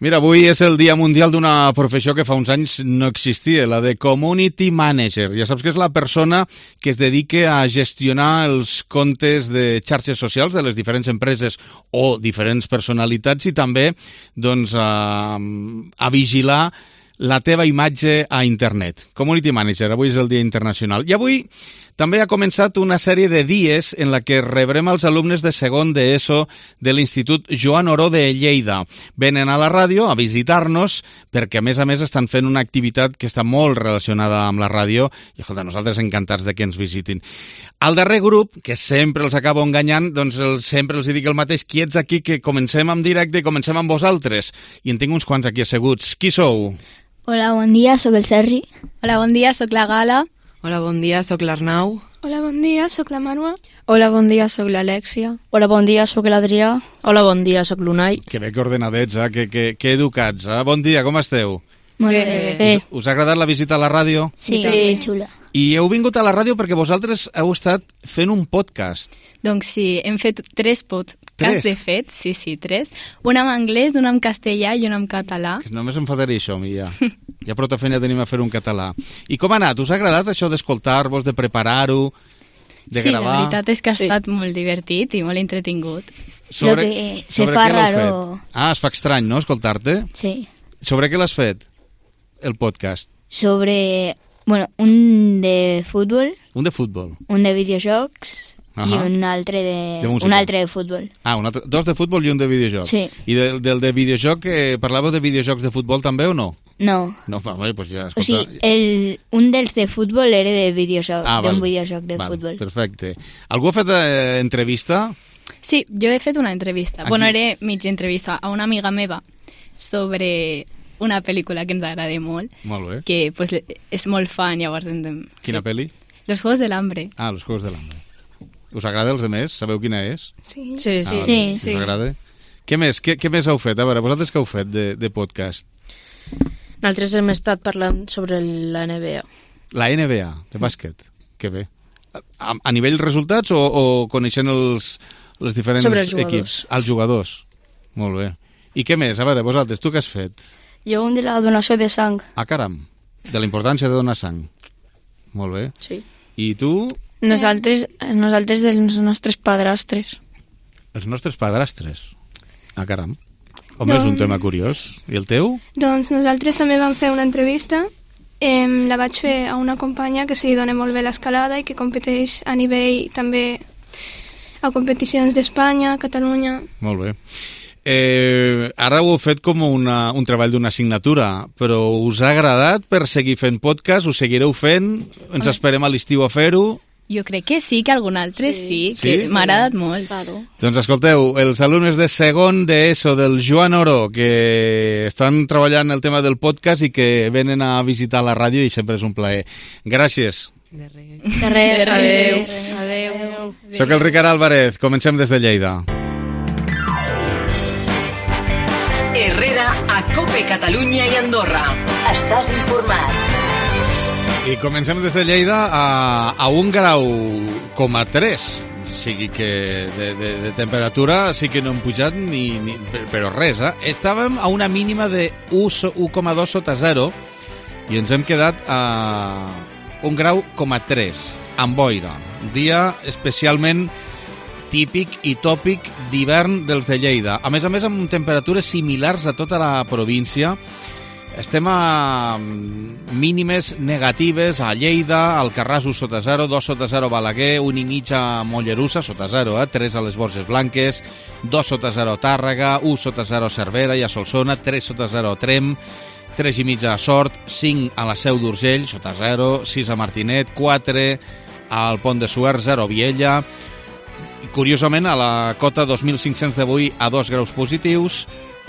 Mira, avui és el Dia Mundial d'una professió que fa uns anys no existia, la de Community Manager. Ja saps que és la persona que es dedica a gestionar els comptes de xarxes socials de les diferents empreses o diferents personalitats i també doncs, a vigilar la teva imatge a internet. Community Manager, avui és el Dia Internacional. I avui també ha començat una sèrie de dies en la que rebrem els alumnes de segon d'ESO de l'Institut Joan Oró de Lleida. Venen a la ràdio a visitar-nos perquè, a més, estan fent una activitat que està molt relacionada amb la ràdio i, escolta, nosaltres encantats de que ens visitin. Al darrer grup, que sempre els acabo enganyant, doncs sempre els dic el mateix, quiets aquí, que comencem en directe i comencem amb vosaltres. I en tinc uns quants aquí asseguts. Qui sou? Hola, bon dia, sóc el Sergi. Hola, bon dia, sóc la Gala. Hola, bon dia, sóc l'Arnau. Hola, bon dia, sóc la Marwa. Hola, bon dia, sóc l'Alèxia. Hola, bon dia, sóc l'Adrià. Hola, bon dia, sóc l'Unai. Que bé que ordenadets, que educats. Bon dia, com esteu? Molt bé. Us ha agradat la visita a la ràdio? Sí, xula. I heu vingut a la ràdio perquè vosaltres heu estat fent un podcast. Doncs sí, hem fet 3 podcasts, de fet, sí, 3. Un en anglès, un en castellà i un en català. Que només em fataré això, a mi, ja. Ja prou feina tenim a fer un català. I com ha anat? Us ha agradat això d'escoltar-vos, de preparar-ho, de gravar? Sí, la veritat és que ha estat molt divertit i molt entretingut. Lo que se fa raro. Es fa estrany, no?, escoltar-te? Sí. Sobre què l'has fet, el podcast? Sobre, un de futbol. Un de futbol. Un de videojocs. I un altre de futbol. Dos de futbol i un de videojoc. Sí. I del de videojoc, parlàveu de videojocs de futbol també o no? No. No, pues ja, escolta... O sigui, un dels de futbol era de videojoc, d'un videojoc de futbol. Perfecte. Algú ha fet entrevista? Sí, jo he fet una entrevista. Bueno, era mitja entrevista a una amiga meva sobre una pel·lícula que ens agrada molt. Molt bé. Que pues, és molt fan, llavors... Quina pel·li? Los Juegos del Hambre. Los Juegos del Hambre. Us agrada els demés? Sabeu quina és? Sí. Us agrada? Què més? Què més heu fet? A veure, vosaltres què heu fet de podcast? Nosaltres hem estat parlant sobre la NBA. La NBA, de bàsquet. Que bé. A nivell resultats o coneixent els diferents equips? Els jugadors. Molt bé. I què més? A veure, vosaltres, tu què has fet? Jo un de la donació de sang. Caram. De la importància de donar sang. Molt bé. Sí. I tu? Nosaltres dels nostres padrastres. Els nostres padrastres? Caram. Home, és un tema curiós. I el teu? Doncs nosaltres també vam fer una entrevista. La vaig fer a una companya que se li dona molt bé l'escalada i que competeix a nivell també a competicions d'Espanya, Catalunya... Molt bé. Ara ho heu fet com un treball d'una assignatura, però us ha agradat per seguir fent podcast? Ho seguireu fent? Ens esperem a l'estiu a fer-ho? Jo crec que sí, que algun altre sí, que m'ha agradat molt. Claro. Doncs escolteu, els alumnes de segon d'ESO del Joan Oró, que estan treballant el tema del podcast i que venen a visitar la ràdio i sempre és un plaer. Gràcies. De res. Adéu. Soc el Ricard Álvarez, comencem des de Lleida. Herrera, a COPE Catalunya i Andorra. Estàs informat. I comencem des de Lleida a 1,3 graus. O sigui que de temperatura sí que no hem pujat però res, Estàvem a una mínima de 1,2 sota 0 i ens hem quedat a 1,3 graus, amb boira. Dia especialment típic i tòpic d'hivern dels de Lleida. A més, amb temperatures similars a tota la província. Estem a mínimes negatives a Lleida, Alcarràs 1 sota 0, 2 sota 0 Balaguer, 1,5 a Mollerussa sota 0, 3 a les Borges Blanques, 2 sota 0 a Tàrrega, 1 sota 0 a Cervera i a Solsona, 3 sota 0 a Trem, 3,5 a Sort, 5 a la Seu d'Urgell, sota 0, 6 a Martinet, 4 al Pont de Suert, 0 a Viella. Curiosament, a la cota 2.500 d'avui a 2 graus positius,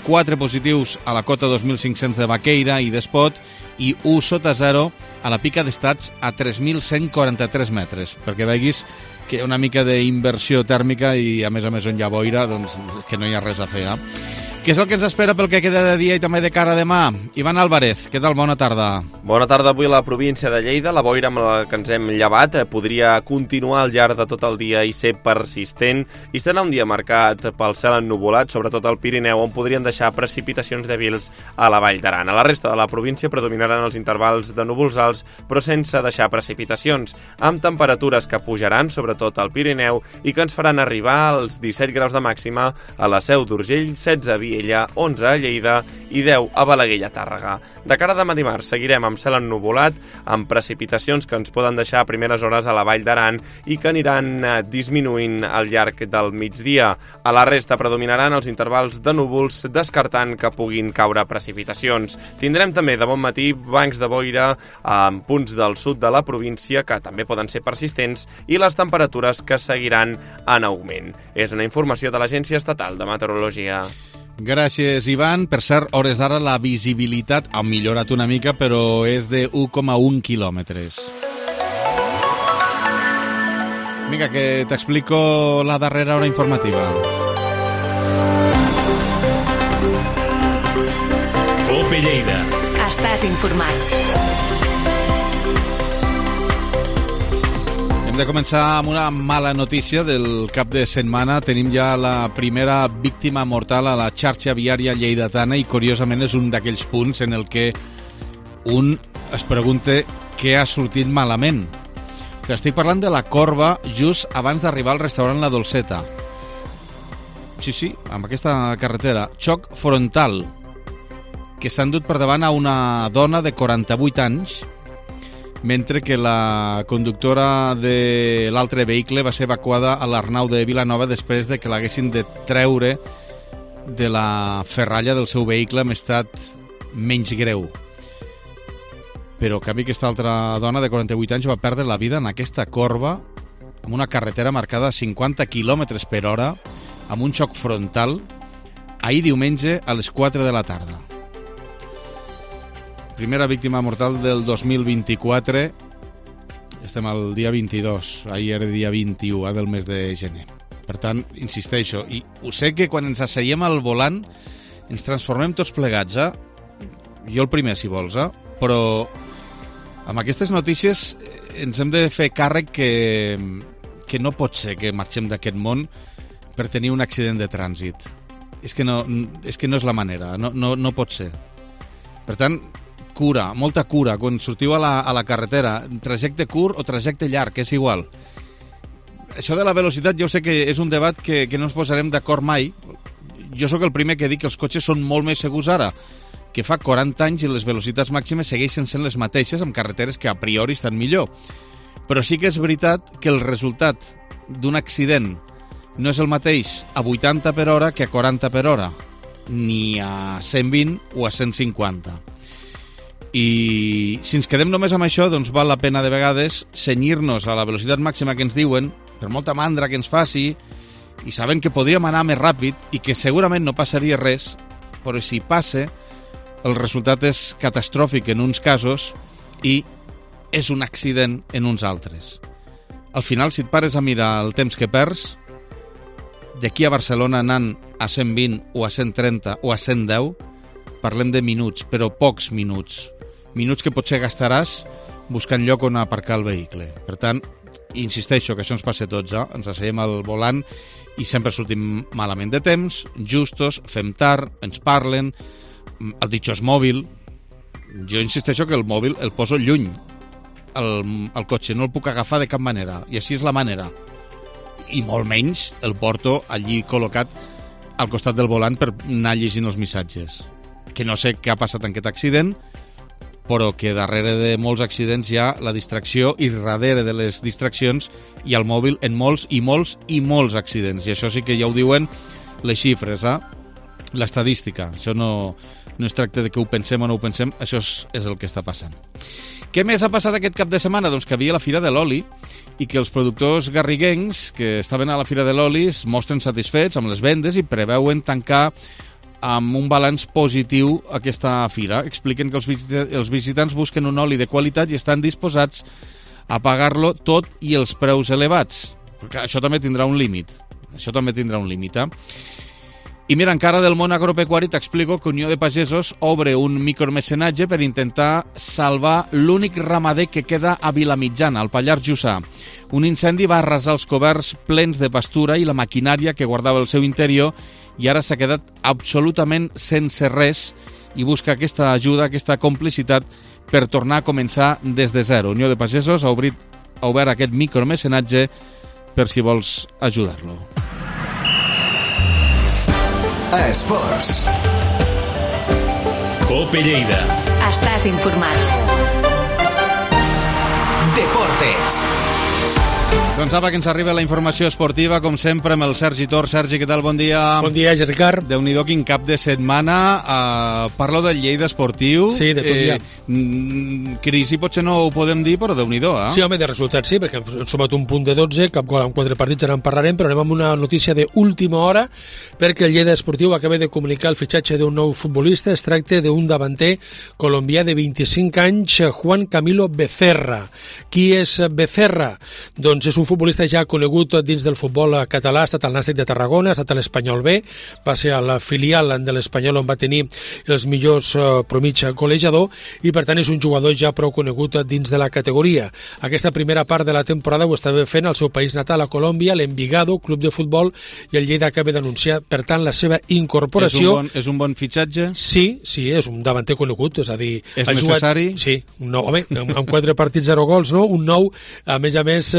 4 positius a la cota 2.500 de Baqueira i d'Espot i 1 sota 0 a la Pica d'Estats a 3.143 metres, perquè veguis que una mica d'inversió tèrmica i a més on hi ha boira, doncs que no hi ha res a fer. Què és el que ens espera pel que queda de dia i també de cara a demà? Ivan Álvarez, què tal? Bona tarda. Bona tarda. Avui a la província de Lleida. La boira amb la que ens hem llevat podria continuar al llarg de tot el dia i ser persistent, i serà un dia marcat pel cel ennuvolat, sobretot al Pirineu, on podrien deixar precipitacions dèbils a la Vall d'Aran. A la resta de la província predominaran els intervals de núvols alts, però sense deixar precipitacions, amb temperatures que pujaran, sobretot al Pirineu, i que ens faran arribar als 17 graus de màxima a la Seu d'Urgell, 16 a Viella, 11 a Lleida i 10 a Balaguer i a Tàrrega. De cara a demà dimarts seguirem amb cel ennuvolat, amb precipitacions que ens poden deixar a primeres hores a la Vall d'Aran i que aniran disminuint al llarg del migdia. A la resta predominaran els intervals de núvols, descartant que puguin caure precipitacions. Tindrem també de bon matí bancs de boira en punts del sud de la província que també poden ser persistents i les temperatures que seguiran en augment. És una informació de l'Agència Estatal de Meteorologia. Gràcies, Ivan. Per cert, hores d'ara la visibilitat ha millorat una mica, però és de 1,1 quilòmetres. Vinga, que t'explico la darrera hora informativa. COPE Lleida. Estàs informat. Hem de començar amb una mala notícia del cap de setmana. Tenim ja la primera víctima mortal a la xarxa viària lleidatana i, curiosament, és un d'aquells punts en el que un es pregunta què ha sortit malament. Estic parlant de la corba just abans d'arribar al restaurant La Dolceta. Sí, amb aquesta carretera. Xoc frontal, que s'ha endut per davant a una dona de 48 anys, mentre que la conductora de l'altre vehicle va ser evacuada a l'Arnau de Vilanova després de que l'haguessin de treure de la ferralla del seu vehicle amb estat menys greu. Però, en canvi, aquesta altra dona de 48 anys va perdre la vida en aquesta corba amb una carretera marcada a 50 km per hora amb un xoc frontal ahir diumenge a les 4 de la tarda. Primera víctima mortal del 2024. Estem al dia 22, ahir era dia 21 del mes de gener. Per tant, insisteixo, i ho sé que quan ens asseiem al volant ens transformem tots plegats, jo el primer, si vols, però amb aquestes notícies ens hem de fer càrrec que no pot ser que marxem d'aquest món per tenir un accident de trànsit. És que no és la manera, no pot ser. Per tant, cura, molta cura, quan sortiu a la carretera, trajecte curt o trajecte llarg, és igual. Això de la velocitat jo sé que és un debat que no ens posarem d'acord mai. Jo sóc el primer que dic que els cotxes són molt més segurs ara, que fa 40 anys i les velocitats màximes segueixen sent les mateixes amb carreteres que a priori estan millor. Però sí que és veritat que el resultat d'un accident no és el mateix a 80 per hora que a 40 per hora, ni a 120 o a 150. I si ens quedem només amb això, doncs val la pena de vegades cenyir-nos a la velocitat màxima que ens diuen, per molta mandra que ens faci, i sabent que podríem anar més ràpid i que segurament no passaria res, però si passa, el resultat és catastròfic en uns casos i és un accident en uns altres. Al final, si et pares a mirar el temps que perds, d'aquí a Barcelona anant a 120 o a 130 o a 110, parlem de minuts, però pocs minuts. Minuts que potser gastaràs buscant lloc on aparcar el vehicle. Per tant, insisteixo que això ens passa a tots, ens asseiem al volant i sempre sortim malament de temps, justos, fem tard, ens parlen, el ditxós mòbil. Jo insisteixo que el mòbil el poso lluny, el cotxe, no el puc agafar de cap manera, i així és la manera. I molt menys el porto allí col·locat al costat del volant per anar llegint els missatges. Que no sé què ha passat en aquest accident, però que darrere de molts accidents hi ha la distracció i darrere de les distraccions hi ha el mòbil en molts i molts i molts accidents. I això sí que ja ho diuen les xifres, l'estadística. Això no es tracta de que ho pensem o no ho pensem, això és el que està passant. Què més ha passat aquest cap de setmana? Doncs que havia la Fira de l'Oli i que els productors garriguencs que estaven a la Fira de l'Oli es mostren satisfets amb les vendes i preveuen tancar amb un balanç positiu aquesta fira. Expliquen que els visitants busquen un oli de qualitat i estan disposats a pagar-lo tot i els preus elevats. Perquè això també tindrà un límit. I mira, encara del món agropecuari t'explico que Unió de Pagesos obre un micromecenatge per intentar salvar l'únic ramader que queda a Vilamitjana, al Pallars Jussà. Un incendi va arrasar els coberts plens de pastura i la maquinària que guardava el seu interior i ara s'ha quedat absolutament sense res i busca aquesta ajuda, aquesta complicitat per tornar a començar des de zero. Unió de Pagesos ha obert aquest micromecenatge per si vols ajudar-lo. Esports. Cope Lleida. Estàs informat. Deportes. Doncs apa, que ens arriba la informació esportiva, com sempre, amb el Sergi Tor. Sergi, què tal? Bon dia. Bon dia, Ricard. Déu-n'hi-do, quin cap de setmana. Parlo del Lleida esportiu. Sí, de tot ja. Crisi potser no ho podem dir, però Déu-n'hi-do, eh? Sí, home, de resultats sí, perquè hem sumat un punt de 12, cap gol en 4 partits, ara en parlarem, però anem amb una notícia d'última hora, perquè el Lleida esportiu acaba de comunicar el fitxatge d'un nou futbolista. Es tracta d'un davanter colombià de 25 anys, Juan Camilo Becerra. Qui és Becerra? Doncs és un futbolista ja conegut dins del futbol català, ha estat al Nàstic de Tarragona, ha estat a l'Espanyol B, va ser a la filial de l'Espanyol on va tenir els millors promig golejador i per tant és un jugador ja prou conegut dins de la categoria. Aquesta primera part de la temporada ho estava fent al seu país natal, a Colòmbia, l'Envigado, club de futbol, i el Lleida acaba d'anunciar, per tant, la seva incorporació. És un bon fitxatge? Sí, és un davanter conegut, és a dir... És necessari? Sí, un nou, home, amb 4 partits 0 gols, no? Un nou, a més,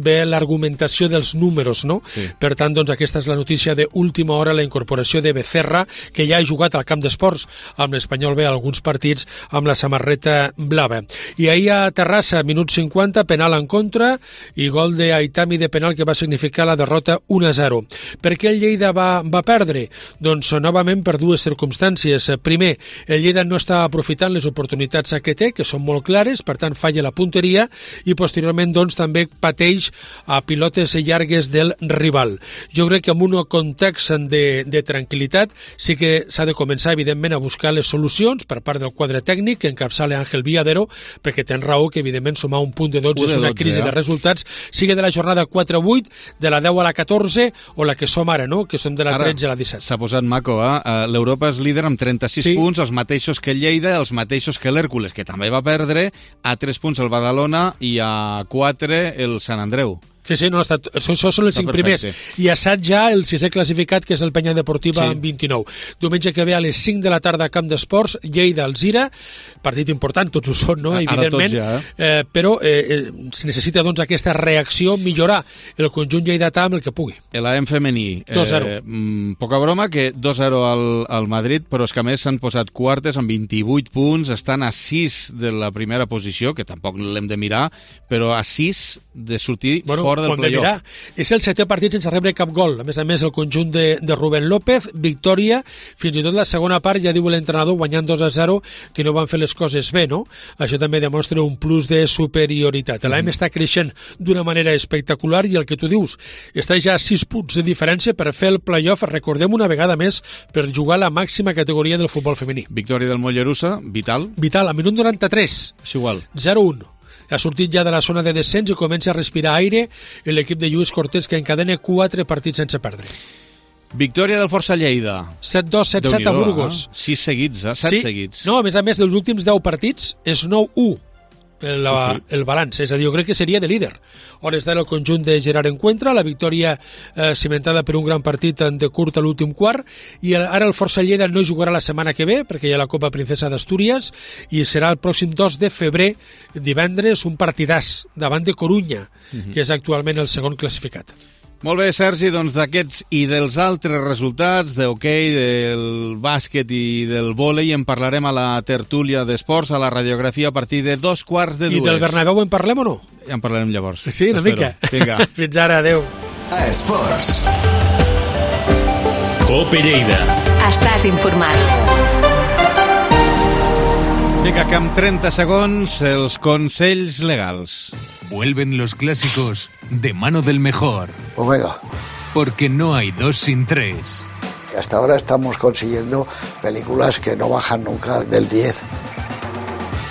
ve l'argumentació dels números, no? Sí. Per tant, doncs, aquesta és la notícia d'última hora, la incorporació de Becerra, que ja ha jugat al camp d'esports amb l'Espanyol B alguns partits amb la samarreta blava. I ahir a Terrassa, minut 50, penal en contra i gol d'Aitami de penal que va significar la derrota 1-0. Per què el Lleida va perdre? Doncs novament per dues circumstàncies. Primer, el Lleida no està aprofitant les oportunitats que té, que són molt clares, per tant falla la punteria, i posteriorment doncs també pateix a pilotes llargues del rival. Jo crec que en un context de tranquil·litat sí que s'ha de començar, evidentment, a buscar les solucions per part del quadre tècnic que encapçala Ángel Villadero, perquè tens raó que, evidentment, sumar un punt de 12 és una crisi de resultats, sigui de la jornada 4-8, de la 10 a la 14 o la que som ara, no? Que som de la 13 a la 17. S'ha posat maco, l'Europa és líder amb 36 punts, els mateixos que el Lleida, els mateixos que l'Hèrcules, que també va perdre, a 3 punts el Badalona i a 4 el Sant Andreu. Sí, no, això són els 5 primers. I a 7 ja el 6è classificat, que és el Penya Deportiva, amb 29. Diumenge que ve a les 5 de la tarda a Camp d'Esports, Lleida-Alzira, partit important, tots ho són, no? Evidentment, però es necessita doncs aquesta reacció, millorar el conjunt lleidatà amb el que pugui. L'AM femení, 2-0. Poca broma, que 2-0 al Madrid, però és que a més s'han posat quartes amb 28 punts, estan a 6 de la primera posició, que tampoc l'hem de mirar, però a 6 de sortir fora del playoff. És el 7è partit sense rebre cap gol. A més, el conjunt de Rubén López, victòria, fins i tot la segona part, ja diu l'entrenador, guanyant 2-0, que no van fer les coses bé, no? Això també demostra un plus de superioritat. L'AM està creixent d'una manera espectacular i el que tu dius, està ja a 6 punts de diferència per fer el playoff, recordem una vegada més, per jugar a la màxima categoria del futbol femení. Victòria del Mollerussa, vital. Vital, a minut 93. És igual. 0-1. Ha sortit ja de la zona de descens i comença a respirar aire l'equip de Lluís Cortés, que encadena 4 partits sense perdre. Victòria del Força Lleida. 7-2, 7-7 a Burgos. 6 seguits, 7 seguits. No, a més, dels últims 10 partits és 9-1. El balanç, és a dir, jo crec que seria de líder. Hores d'ara el conjunt de Gerard Encuentra, la victòria cimentada per un gran partit de curt a l'últim quart, i ara el Força Lleida no jugarà la setmana que ve, perquè hi ha la Copa Princesa d'Astúries, i serà el pròxim 2 de febrer, divendres, un partidàs davant de Corunya, que és actualment el segon classificat. Molt bé, Sergi, doncs d'aquests i dels altres resultats, d'hoquei, del bàsquet i del vòlei, en parlarem a la tertúlia d'esports, a la radiografia, a partir de 2:15. I del Bernabéu en parlem o no? Ja en parlarem llavors. Sí, una mica. Vinga. Fins ara, adeu. Esports. Cope Lleida. Estàs informat. Vinga, que amb 30 segons, els consells legals. Vuelven los clásicos de mano del mejor. Pues venga. Porque no hay 2 sin 3. Hasta ahora estamos consiguiendo películas que no bajan nunca del 10.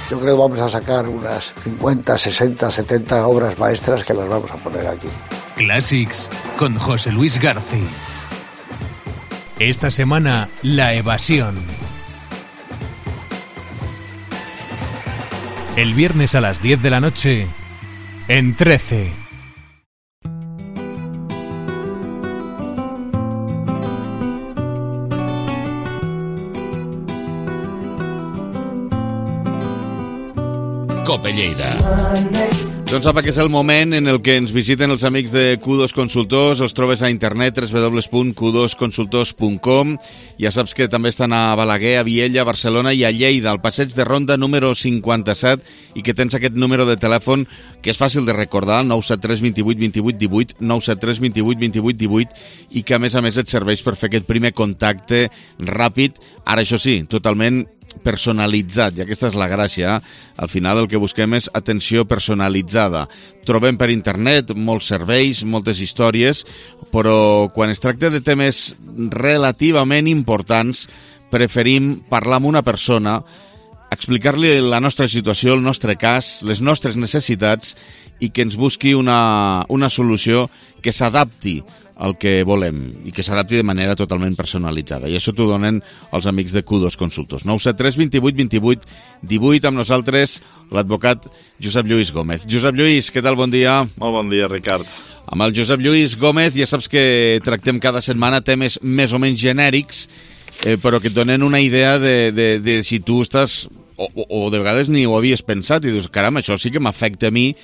Yo creo que vamos a sacar unas 50, 60, 70 obras maestras que las vamos a poner aquí. Classics con José Luis García. Esta semana, la evasión. El viernes a las 10 de la noche, en 13. Cope Lleida. Doncs sap que és el moment en el que ens visiten els amics de Q2 Consultors. Els trobes a internet www.q2consultors.com. Ja saps que també estan a Balaguer, a Viella, a Barcelona i a Lleida, al passeig de Ronda número 57, i que tens aquest número de telèfon que és fàcil de recordar, 973 28 28 18, 973 28 28 18, i que a més et serveix per fer aquest primer contacte ràpid, ara això sí, totalment personalitzat, i aquesta és la gràcia. Al final el que busquem és atenció personalitzada. Trobem per internet molts serveis, moltes històries, però quan es tracta de temes relativament importants preferim parlar amb una persona, explicar-li la nostra situació, el nostre cas, les nostres necessitats, i que ens busqui una solució que s'adapti el que volem i que s'adapti de manera totalment personalitzada. I això t'ho donen els amics de Q2 Consultors. 973 28 28 18, amb nosaltres l'advocat Josep Lluís Gómez. Josep Lluís, què tal? Bon dia. Molt bon dia, Ricard. Amb el Josep Lluís Gómez ja saps que tractem cada setmana temes més o menys genèrics, però que et donen una idea de si tu estàs, o de vegades ni ho havies pensat, i dius, caram, això sí que m'afecta a mi.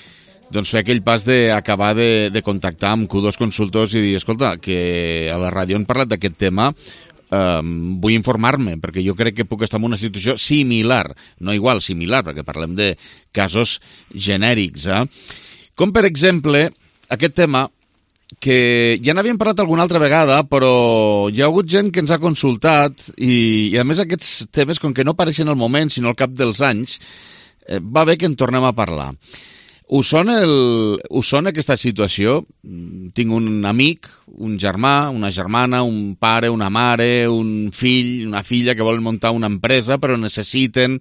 Doncs fer aquell pas d'acabar de contactar amb Q2 Consultors i dir, escolta, que a la ràdio han parlat d'aquest tema, vull informar-me, perquè jo crec que puc estar en una situació similar, no igual, similar, perquè parlem de casos genèrics. Com, per exemple, aquest tema, que ja n'havíem parlat alguna altra vegada, però hi ha hagut gent que ens ha consultat, i a més aquests temes, com que no apareixen al moment, sinó al cap dels anys, va bé que en tornem a parlar. Us sona aquesta situació? Tinc un amic, un germà, una germana, un pare, una mare, un fill, una filla que volen muntar una empresa, però necessiten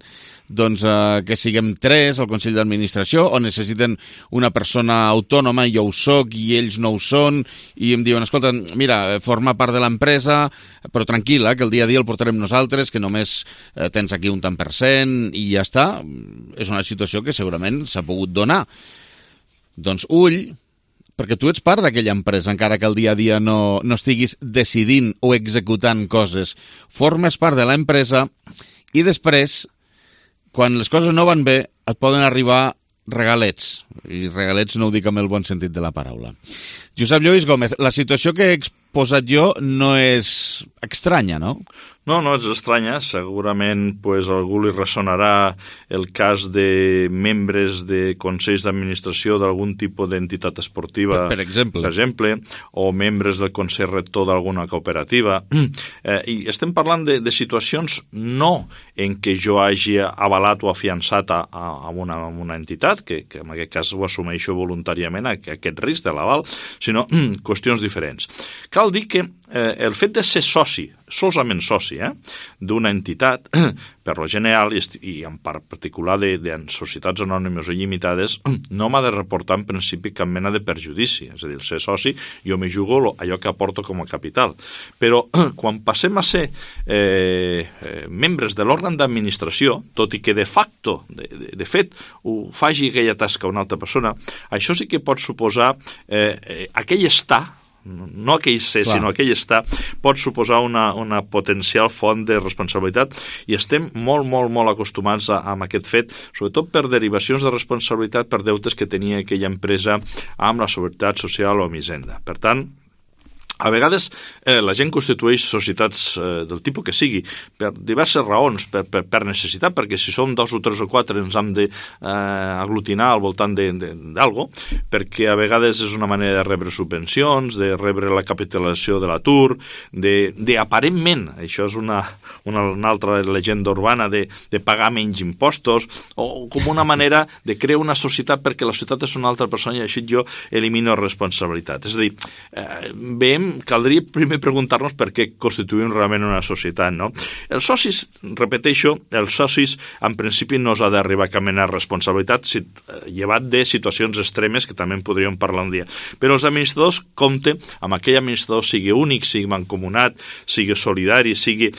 que siguem 3 al Consell d'Administració, o necessiten una persona autònoma, jo ho soc i ells no ho són, i em diuen, escolta, mira, forma part de l'empresa, però tranquil·la, que el dia a dia el portarem nosaltres, que només tens aquí un tant per cent, i ja està. És una situació que segurament s'ha pogut donar. Doncs ull, perquè tu ets part d'aquella empresa, encara que el dia a dia no estiguis decidint o executant coses. Formes part de l'empresa i després, quan les coses no van bé, et poden arribar regalets. I regalets no ho dic amb el bon sentit de la paraula. Josep Lluís Gómez, la situació que he exposat jo no és estranya, no? No és estranya. Segurament algú li ressonarà el cas de membres de consells d'administració d'algun tipus d'entitat esportiva, per exemple, o membres del consell rector d'alguna cooperativa. I estem parlant de situacions no en què jo hagi avalat o afiançat a una entitat, que en aquest cas ho assumeixo voluntàriament, aquest risc de l'aval, sinó qüestions diferents. Cal dir que el fet de ser soci, solament soci, d'una entitat, per lo general, i en part particular de societats anònimes o limitades, no m'ha de reportar en principi cap mena de perjudici. És a dir, ser soci, jo me jugo allò que aporto com a capital. Però quan passem a ser membres de l'òrgan d'administració, tot i que de facto, de fet, ho faci aquella tasca una altra persona, això sí que pot suposar aquell estar, no aquell ser, sinó aquell estar, pot suposar una potencial font de responsabilitat, i estem molt, molt, molt acostumats amb aquest fet, sobretot per derivacions de responsabilitat per deutes que tenia aquella empresa amb la Seguretat Social o amb Hisenda. Per tant, a vegades la gent constitueix societats del tipus que sigui per diverses raons, per necessitat, perquè si som 2 o 3 o 4 ens hem d'aglutinar al voltant d'algo, perquè a vegades és una manera de rebre subvencions, de rebre la capitalització de l'atur, d'aparentment, això és una altra llegenda urbana, de pagar menys impostos, o com una manera de crear una societat perquè la societat és una altra persona i així jo elimino responsabilitat. És a dir, veiem caldria primer preguntar-nos per què constituïm realment una societat, no? Els socis, repeteixo, els socis en principi no s'ha d'arribar a cap mena de responsabilitat, llevat de situacions extremes que també en podríem parlar un dia. Però els administradors, compte amb aquell administrador, sigui únic, sigui mancomunat, sigui solidari, sigui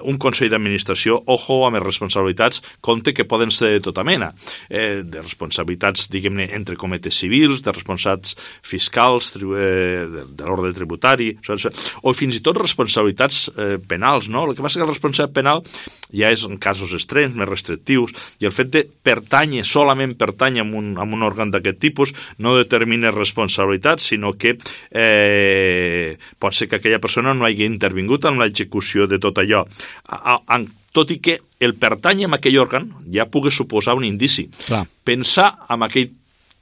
un consell d'administració, ojo amb les responsabilitats, compte que poden ser de tota mena, de responsabilitats, diguem-ne, entre cometes civils, de responsabilitats fiscals, de l'ordre tributari, o fins i tot responsabilitats penals, no? El que passa que la responsabilitat penal ja és en casos extrems, més restrictius, i el fet de pertànyer, solament pertànyer a un òrgan d'aquest tipus, no determina responsabilitat, sinó que pot ser que aquella persona no hagi intervingut en l'execució de tot allò. Tot i que el pertànyer a aquell òrgan ja pugui suposar un indici. Clar. Pensar en aquell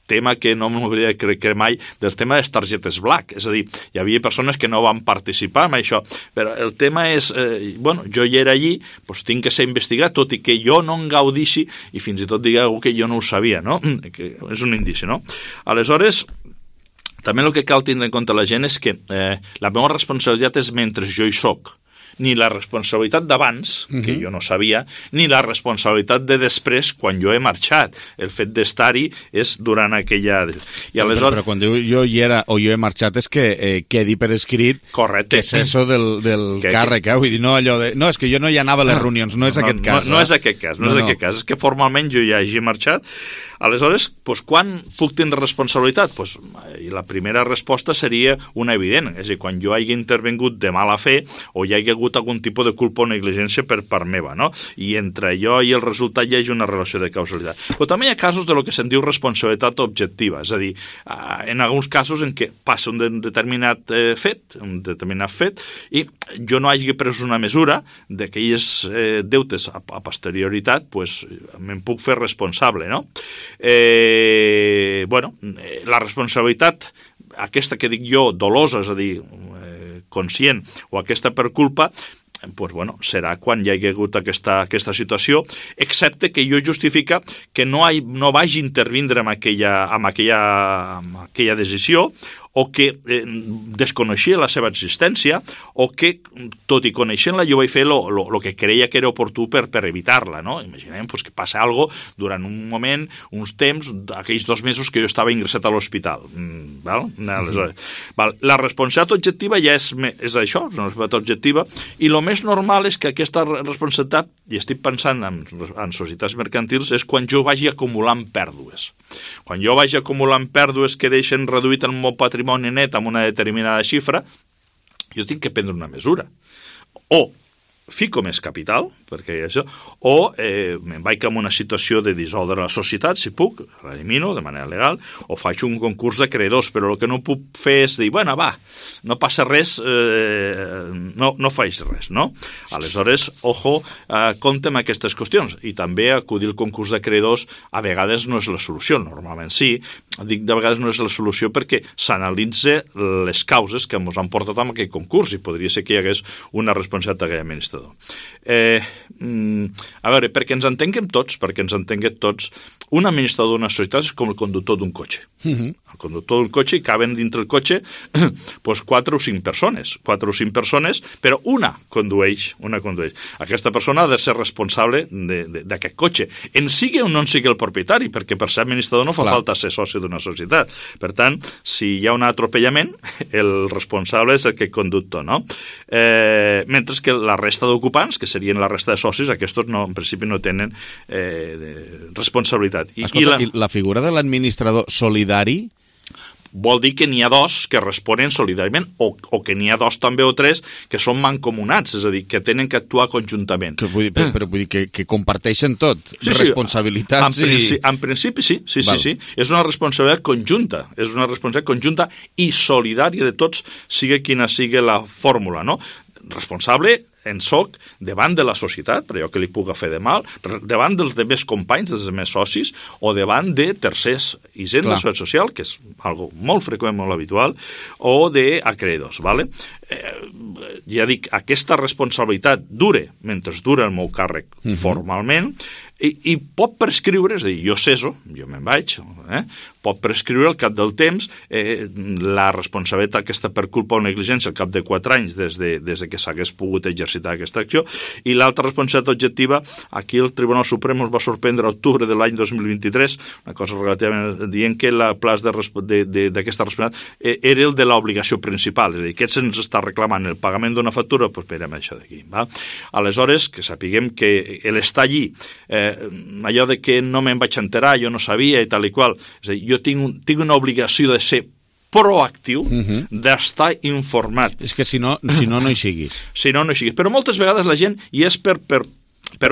tema que no m'hauria de creure mai, del tema de les targetes black. És a dir, hi havia persones que no van participar en això, però el tema és, jo hi era allí, doncs tinc que ser investigat, tot i que jo no en gaudixi, i fins i tot digueu que jo no ho sabia, no? Que és un indici, no? Aleshores, també el que cal tindre en compte la gent és que la meva responsabilitat és mentre jo hi soc. Ni la responsabilitat d'abans, que jo no sabia, ni la responsabilitat de després, quan jo he marxat. El fet d'estar-hi és durant aquella... I aleshores... Però quan diu jo hi era o jo he marxat és que quedi per escrit correcte. Que és això del càrrec, vull dir, no allò de... No, és que jo no hi anava a les reunions, no és aquest cas. No és aquest cas, no és aquest cas, és que formalment jo ja hagi marxat. Aleshores, quan puc tindre responsabilitat? La primera resposta seria una evident, és a dir, quan jo hagi intervingut de mala fe o hi hagi hagut algun tipus de culpa o negligència per part meva, no? I entre allò i el resultat hi hagi una relació de causalitat. Però també hi ha casos de lo que se'n diu responsabilitat objectiva, és a dir, en alguns casos en què passa un determinat fet, i jo no hagi pres una mesura d'aquelles deutes a posterioritat, me'n puc fer responsable, no? La responsabilitat aquesta que dic jo, dolosa, és a dir, conscient, o aquesta per culpa, serà quan hi hagi hagut aquesta situació, excepte que jo justifica que no vagi intervindre en aquella decisió, o que desconeixia la seva existència, o que, tot i coneixent-la, jo vaig fer el que creia que era oportú per evitar-la, no? Imaginem que passa alguna cosa durant un moment, uns temps, aquells 2 mesos que jo estava ingressat a l'hospital. La responsabilitat objectiva ja és això, és una responsabilitat objectiva, i el més normal és que aquesta responsabilitat, i estic pensant en societats mercantils, és quan jo vagi acumulant pèrdues. Quan jo vagi acumulant pèrdues que deixen reduït el meu patrimoni net amb una determinada xifra, jo tinc que prendre una mesura. O fico més capital, perquè això, o me'n vaig en una situació de dissoldre la societat, si puc, l'elimino de manera legal, o faig un concurs de creadors, però el que no puc fer és dir, no passa res, no faig res, no? Aleshores, ojo, compte amb aquestes qüestions, i també acudir al concurs de creadors a vegades no és la solució, normalment sí, dic de vegades no és la solució perquè s'analitza les causes que ens han portat a aquest concurs, i podria ser que hi hagués una responsabilitat d'aquell administrador. A veure, perquè ens entenguem tots, un administrador d'una societat és com el conductor d'un cotxe. El conductor d'un cotxe, i caben dintre el cotxe 4 o 5 persones, però una condueix. Aquesta persona ha de ser responsable d'aquest cotxe. En sigui o no en sigui el propietari, perquè per ser administrador no fa falta ser soci d'una societat. Per tant, si hi ha un atropellament, el responsable és aquest conductor, no? Mentre que la resta d'ocupants, que serien la resta de socis, aquests en principi no tenen responsabilitat. Escolta, i la figura de l'administrador solidari vol dir que n'hi ha 2 que responen solidàriament, o que n'hi ha 2 també o 3 que són mancomunats, és a dir, que tenen que actuar conjuntament. Però vull dir que comparteixen tot, responsabilitats i... En principi sí. És una responsabilitat conjunta, i solidària de tots, sigui quina sigui la fórmula, no? Responsable en soc davant de la societat, per allò que li puga fer de mal, davant dels demés companys, dels demés socis, o davant de tercers, i gent de la societat social, que és algo molt freqüent, molt habitual, o d'acreedors, ¿vale? Ja dic, aquesta responsabilitat mentre dura el meu càrrec formalment, I pot prescriure, és a dir, jo ceso, jo me'n vaig, pot prescriure al cap del temps la responsabilitat aquesta per culpa o negligència al cap de 4 anys des de que s'hagués pogut exercitar aquesta acció, i l'altra responsabilitat objectiva, aquí el Tribunal Suprem es va sorprendre a octubre de l'any 2023, una cosa relativament dient que el plaç d'aquesta responsabilitat era el de l'obligació principal, és a dir, que se'ns està reclamant el pagament d'una factura, doncs esperem això d'aquí. Aleshores, que sapiguem que l'estar allí, allò de que no me'n vaig enterar, jo no sabia i tal i qual, és a dir, jo tinc una obligació de ser proactiu, d'estar informat. És que si no hi siguis. Si no hi siguis. Però moltes vegades la gent hi és per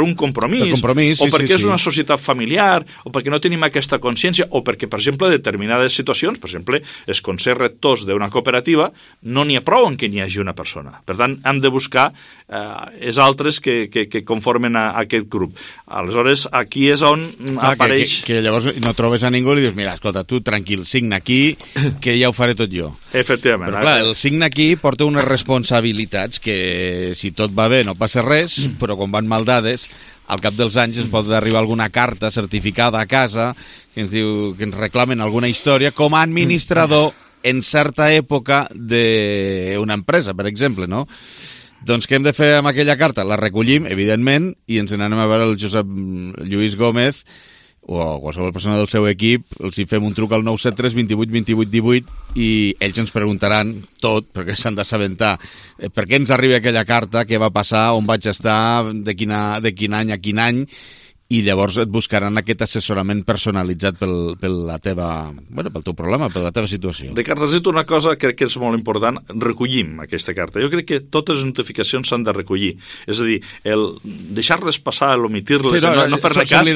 un compromís, o perquè és una societat familiar, o perquè no tenim aquesta consciència, o perquè, per exemple, determinades situacions, per exemple, els consells rectors d'una cooperativa, no n'hi ha prou en què n'hi hagi una persona. Per tant, hem de buscar els altres que conformen aquest grup. Aleshores, aquí és on apareix... Que llavors no trobes a ningú i dius, mira, escolta, tu tranquil, signa aquí, que ja ho faré tot jo. Efectivament. Però clar, el signa aquí porta unes responsabilitats que, si tot va bé, no passa res, però quan van mal dades, al cap dels anys ens pot arribar alguna carta certificada a casa que ens diu que ens reclamen alguna història com a administrador en certa època d'una empresa, per exemple, no? Doncs què hem de fer amb aquella carta? La recollim, evidentment, i ens n'anem a veure el Josep Lluís Gómez o qualsevol persona del seu equip, els hi fem un truc al 973 28 28 18 i ells ens preguntaran tot, perquè s'han d'assabentar per què ens arriba aquella carta, què va passar, on vaig estar, de quin any a quin any, i llavors et buscaran aquest assessorament personalitzat pel teu problema, per la teva situació. Ricard, has dit una cosa que crec que és molt important, recollim aquesta carta. Jo crec que totes les notificacions s'han de recollir. És a dir, el deixar-les passar, l'omitir-les, no fer-ne cas,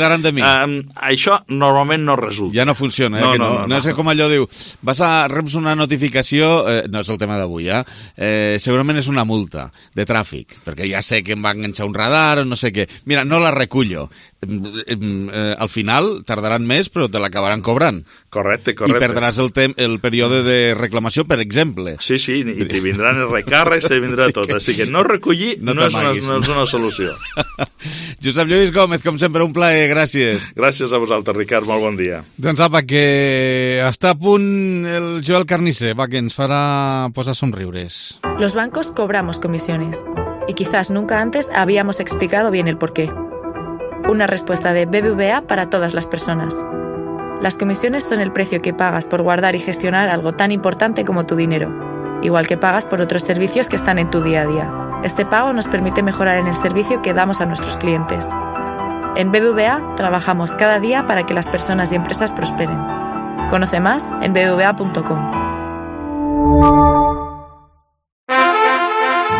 això normalment no resulta. Ja no funciona, no és com allò diu, reps una notificació, no és el tema d'avui, segurament és una multa de tràfic, perquè ja sé que em va enganxar un radar o no sé què. Mira, no la recullo. Al final tardaran més però te l'acabaran cobrant. Correcte. I perdràs el període de reclamació, per exemple. Sí, i te vindran els recàrrecs, te vindrà tot. Així que no recollir no és una solució. Josep Lluís Gómez, com sempre, un plaer, gràcies. Gràcies a vosaltres, Ricard, molt bon dia. Doncs apa, que està a punt el Joel Carnicer, que ens farà posar somriures. Los bancos cobramos comisiones y quizás nunca antes habíamos explicado bien el porqué. Una respuesta de BBVA para todas las personas. Las comisiones son el precio que pagas por guardar y gestionar algo tan importante como tu dinero, igual que pagas por otros servicios que están en tu día a día. Este pago nos permite mejorar en el servicio que damos a nuestros clientes. En BBVA trabajamos cada día para que las personas y empresas prosperen. Conoce más en bbva.com.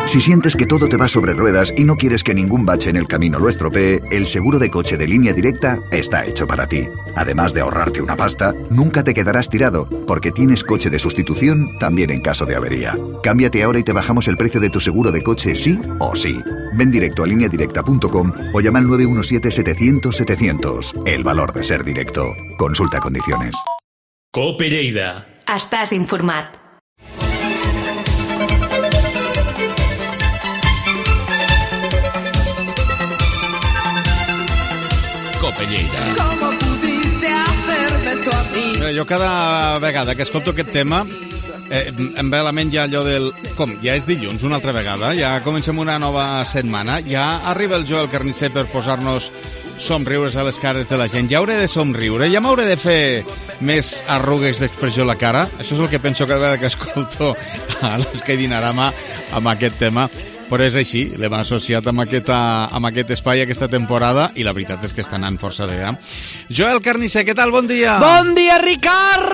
Si sientes que todo te va sobre ruedas y no quieres que ningún bache en el camino lo estropee, el seguro de coche de Línea Directa está hecho para ti. Además de ahorrarte una pasta, nunca te quedarás tirado, porque tienes coche de sustitución también en caso de avería. Cámbiate ahora y te bajamos el precio de tu seguro de coche sí o sí. Ven directo a lineadirecta.com o llama al 917-700-700. El valor de ser directo. Consulta condiciones. COPE Lleida. Estàs informat. Jo cada vegada que escolto aquest tema em ve a la ment ja allò del... Com? Ja és dilluns una altra vegada? Ja comencem una nova setmana? Ja arriba el Joel Carnicer per posar-nos somriures a les cares de la gent? Ja hauré de somriure? Ja m'hauré de fer més arrugues d'expressió a la cara? Això és el que penso cada vegada que escolto a l'Eskai Dinarama amb aquest tema. Però és així, l'hem associat amb aquest espai aquesta temporada i la veritat és que està anant força bé. Joel Carnicer, què tal? Bon dia! Bon dia, Ricard!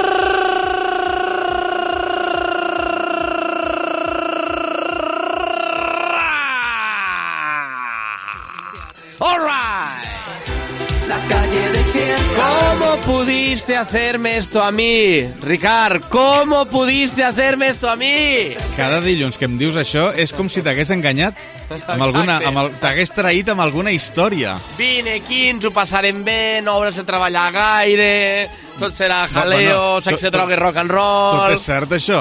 All right! La calle desierta. ¿Cómo pudiste hacerme esto a mi? Ricard, ¿cómo pudiste hacerme esto a mi? Cada dilluns que em dius això és com si t'hagués enganyat, t'hagués traït amb alguna història. Vine aquí, ens ho passarem bé, no hauràs de treballar gaire, tot serà jaleo, sexe, droga i rock and roll... Tot és cert, això,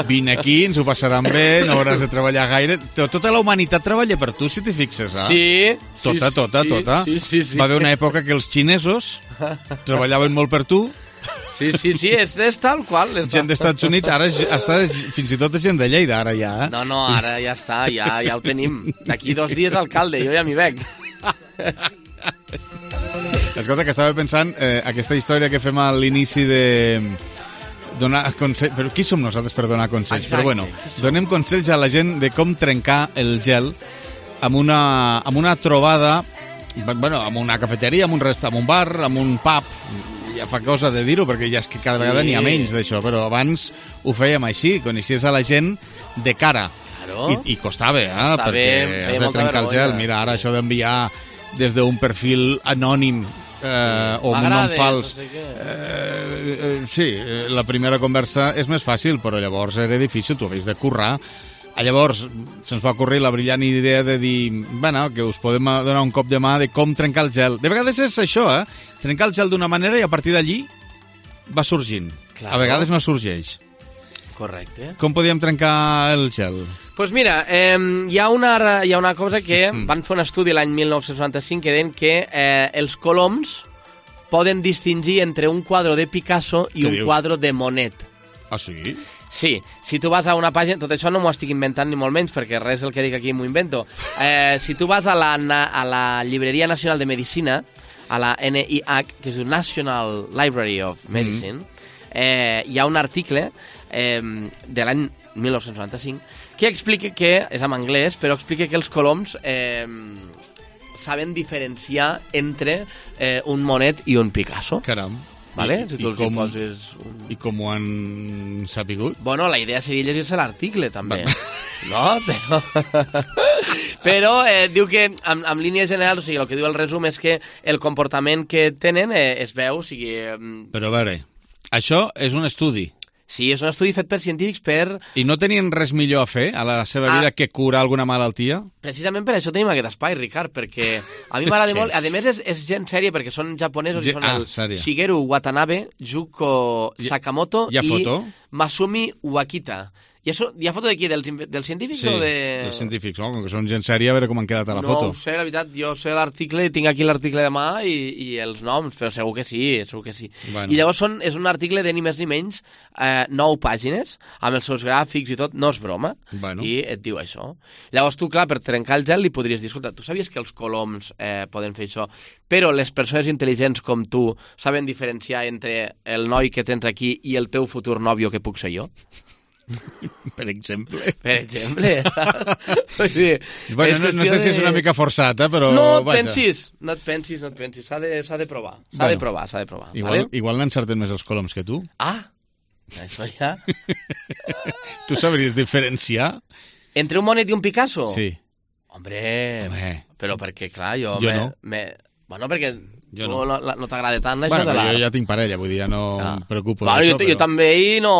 Vine aquí, ens ho passaran bé, no hauràs de treballar gaire... Tota la humanitat treballa per tu, si t'hi fixes, Sí. Tota. Sí. Va haver una època que els xinesos treballaven molt per tu. Sí, és tal qual. Gent dels Estats Units, ara fins i tot és gent de Lleida, ara ja. No, ara ja està, ja ho tenim. D'aquí 2 dies alcalde, jo ja m'hi veig. Escolta, que estava pensant, aquesta història que fem a l'inici de donar consells... Però qui som nosaltres per donar consells? Exacte. Però bueno, donem consells a la gent de com trencar el gel amb una trobada, bueno, amb una cafeteria, amb un bar, amb un pub. Ja fa cosa de dir-ho, perquè ja és que cada vegada n'hi ha menys d'això, però abans ho fèiem així, coneixies a la gent de cara. Claro. I costava, perquè has de trencar el gel. Mira, ara això d'enviar des d'un perfil anònim o un nom fals. Sí, la primera conversa és més fàcil, però llavors era difícil, tu havies de currar. Llavors se'ns va ocorrir la brillant idea de dir, bueno, que us podem donar un cop de mà de com trencar el gel. De vegades és això, trencar el gel d'una manera i a partir d'allí va sorgint. Claro. A vegades no sorgeix. Correcte. Com podíem trencar el gel? Pues mira, hi ha una cosa que van fer un estudi l'any 1995 que deien que els coloms poden distingir entre un quadre de Picasso i un quadre de Monet. Ah, sí? Sí, si tu vas a una pàgina... Tot això no m'ho estic inventant ni molt menys, perquè res del que dic aquí m'ho invento. Si tu vas a la Llibreria Nacional de Medicina, a la NIH, que és el National Library of Medicine, hi ha un article de l'any 1995 que explica que, és en anglès, però explica que els coloms saben diferenciar entre un Monet i un Picasso. Caram. Vale? Si tu els poses I com ho han sapigut? Bueno, la idea seria llegir-se l'article, també. No, però diu que, en línies generals, o sigui, el que diu el resum és que el comportament que tenen es veu, o sigui... Però a veure, això és un estudi. Sí, és un estudi fet per científics per... I no tenien res millor a fer a la seva vida que curar alguna malaltia? Precisament per això tenim aquest espai, Ricard, perquè a mi m'agrada molt... A més, és gent sèria, perquè són japonesos i són el Shigeru Watanabe, Juko Sakamoto i Masumi Wakita. Hi ha foto d'aquí, dels científics o de...? Sí, dels científics, no? Com que són gent sèria, a veure com han quedat a la foto. No ho sé, la veritat, jo sé l'article, tinc aquí l'article de mà i els noms, però segur que sí, Bueno. I llavors és un article de ni més ni menys 9 pàgines, amb els seus gràfics i tot, no és broma, i et diu això. Llavors tu, clar, per trencar el gel li podries dir, escolta, tu sabies que els coloms poden fer això, però les persones intel·ligents com tu saben diferenciar entre el noi que tens aquí i el teu futur nòvio que puc ser jo? Per exemple. Per exemple. Bueno, no sé si és una mica forçat, però... No et pensis. S'ha de provar. S'ha de provar. Igual n'encerten més els coloms que tu. Ah, això ja... Tu sabries diferenciar? Entre un Monet i un Picasso? Sí. Hombre. Però perquè, clar, jo no. Bueno, perquè... No t'agrada tant això de la... Jo ja tinc parella, vull dir, ja no em preocupo d'això. Jo també i no...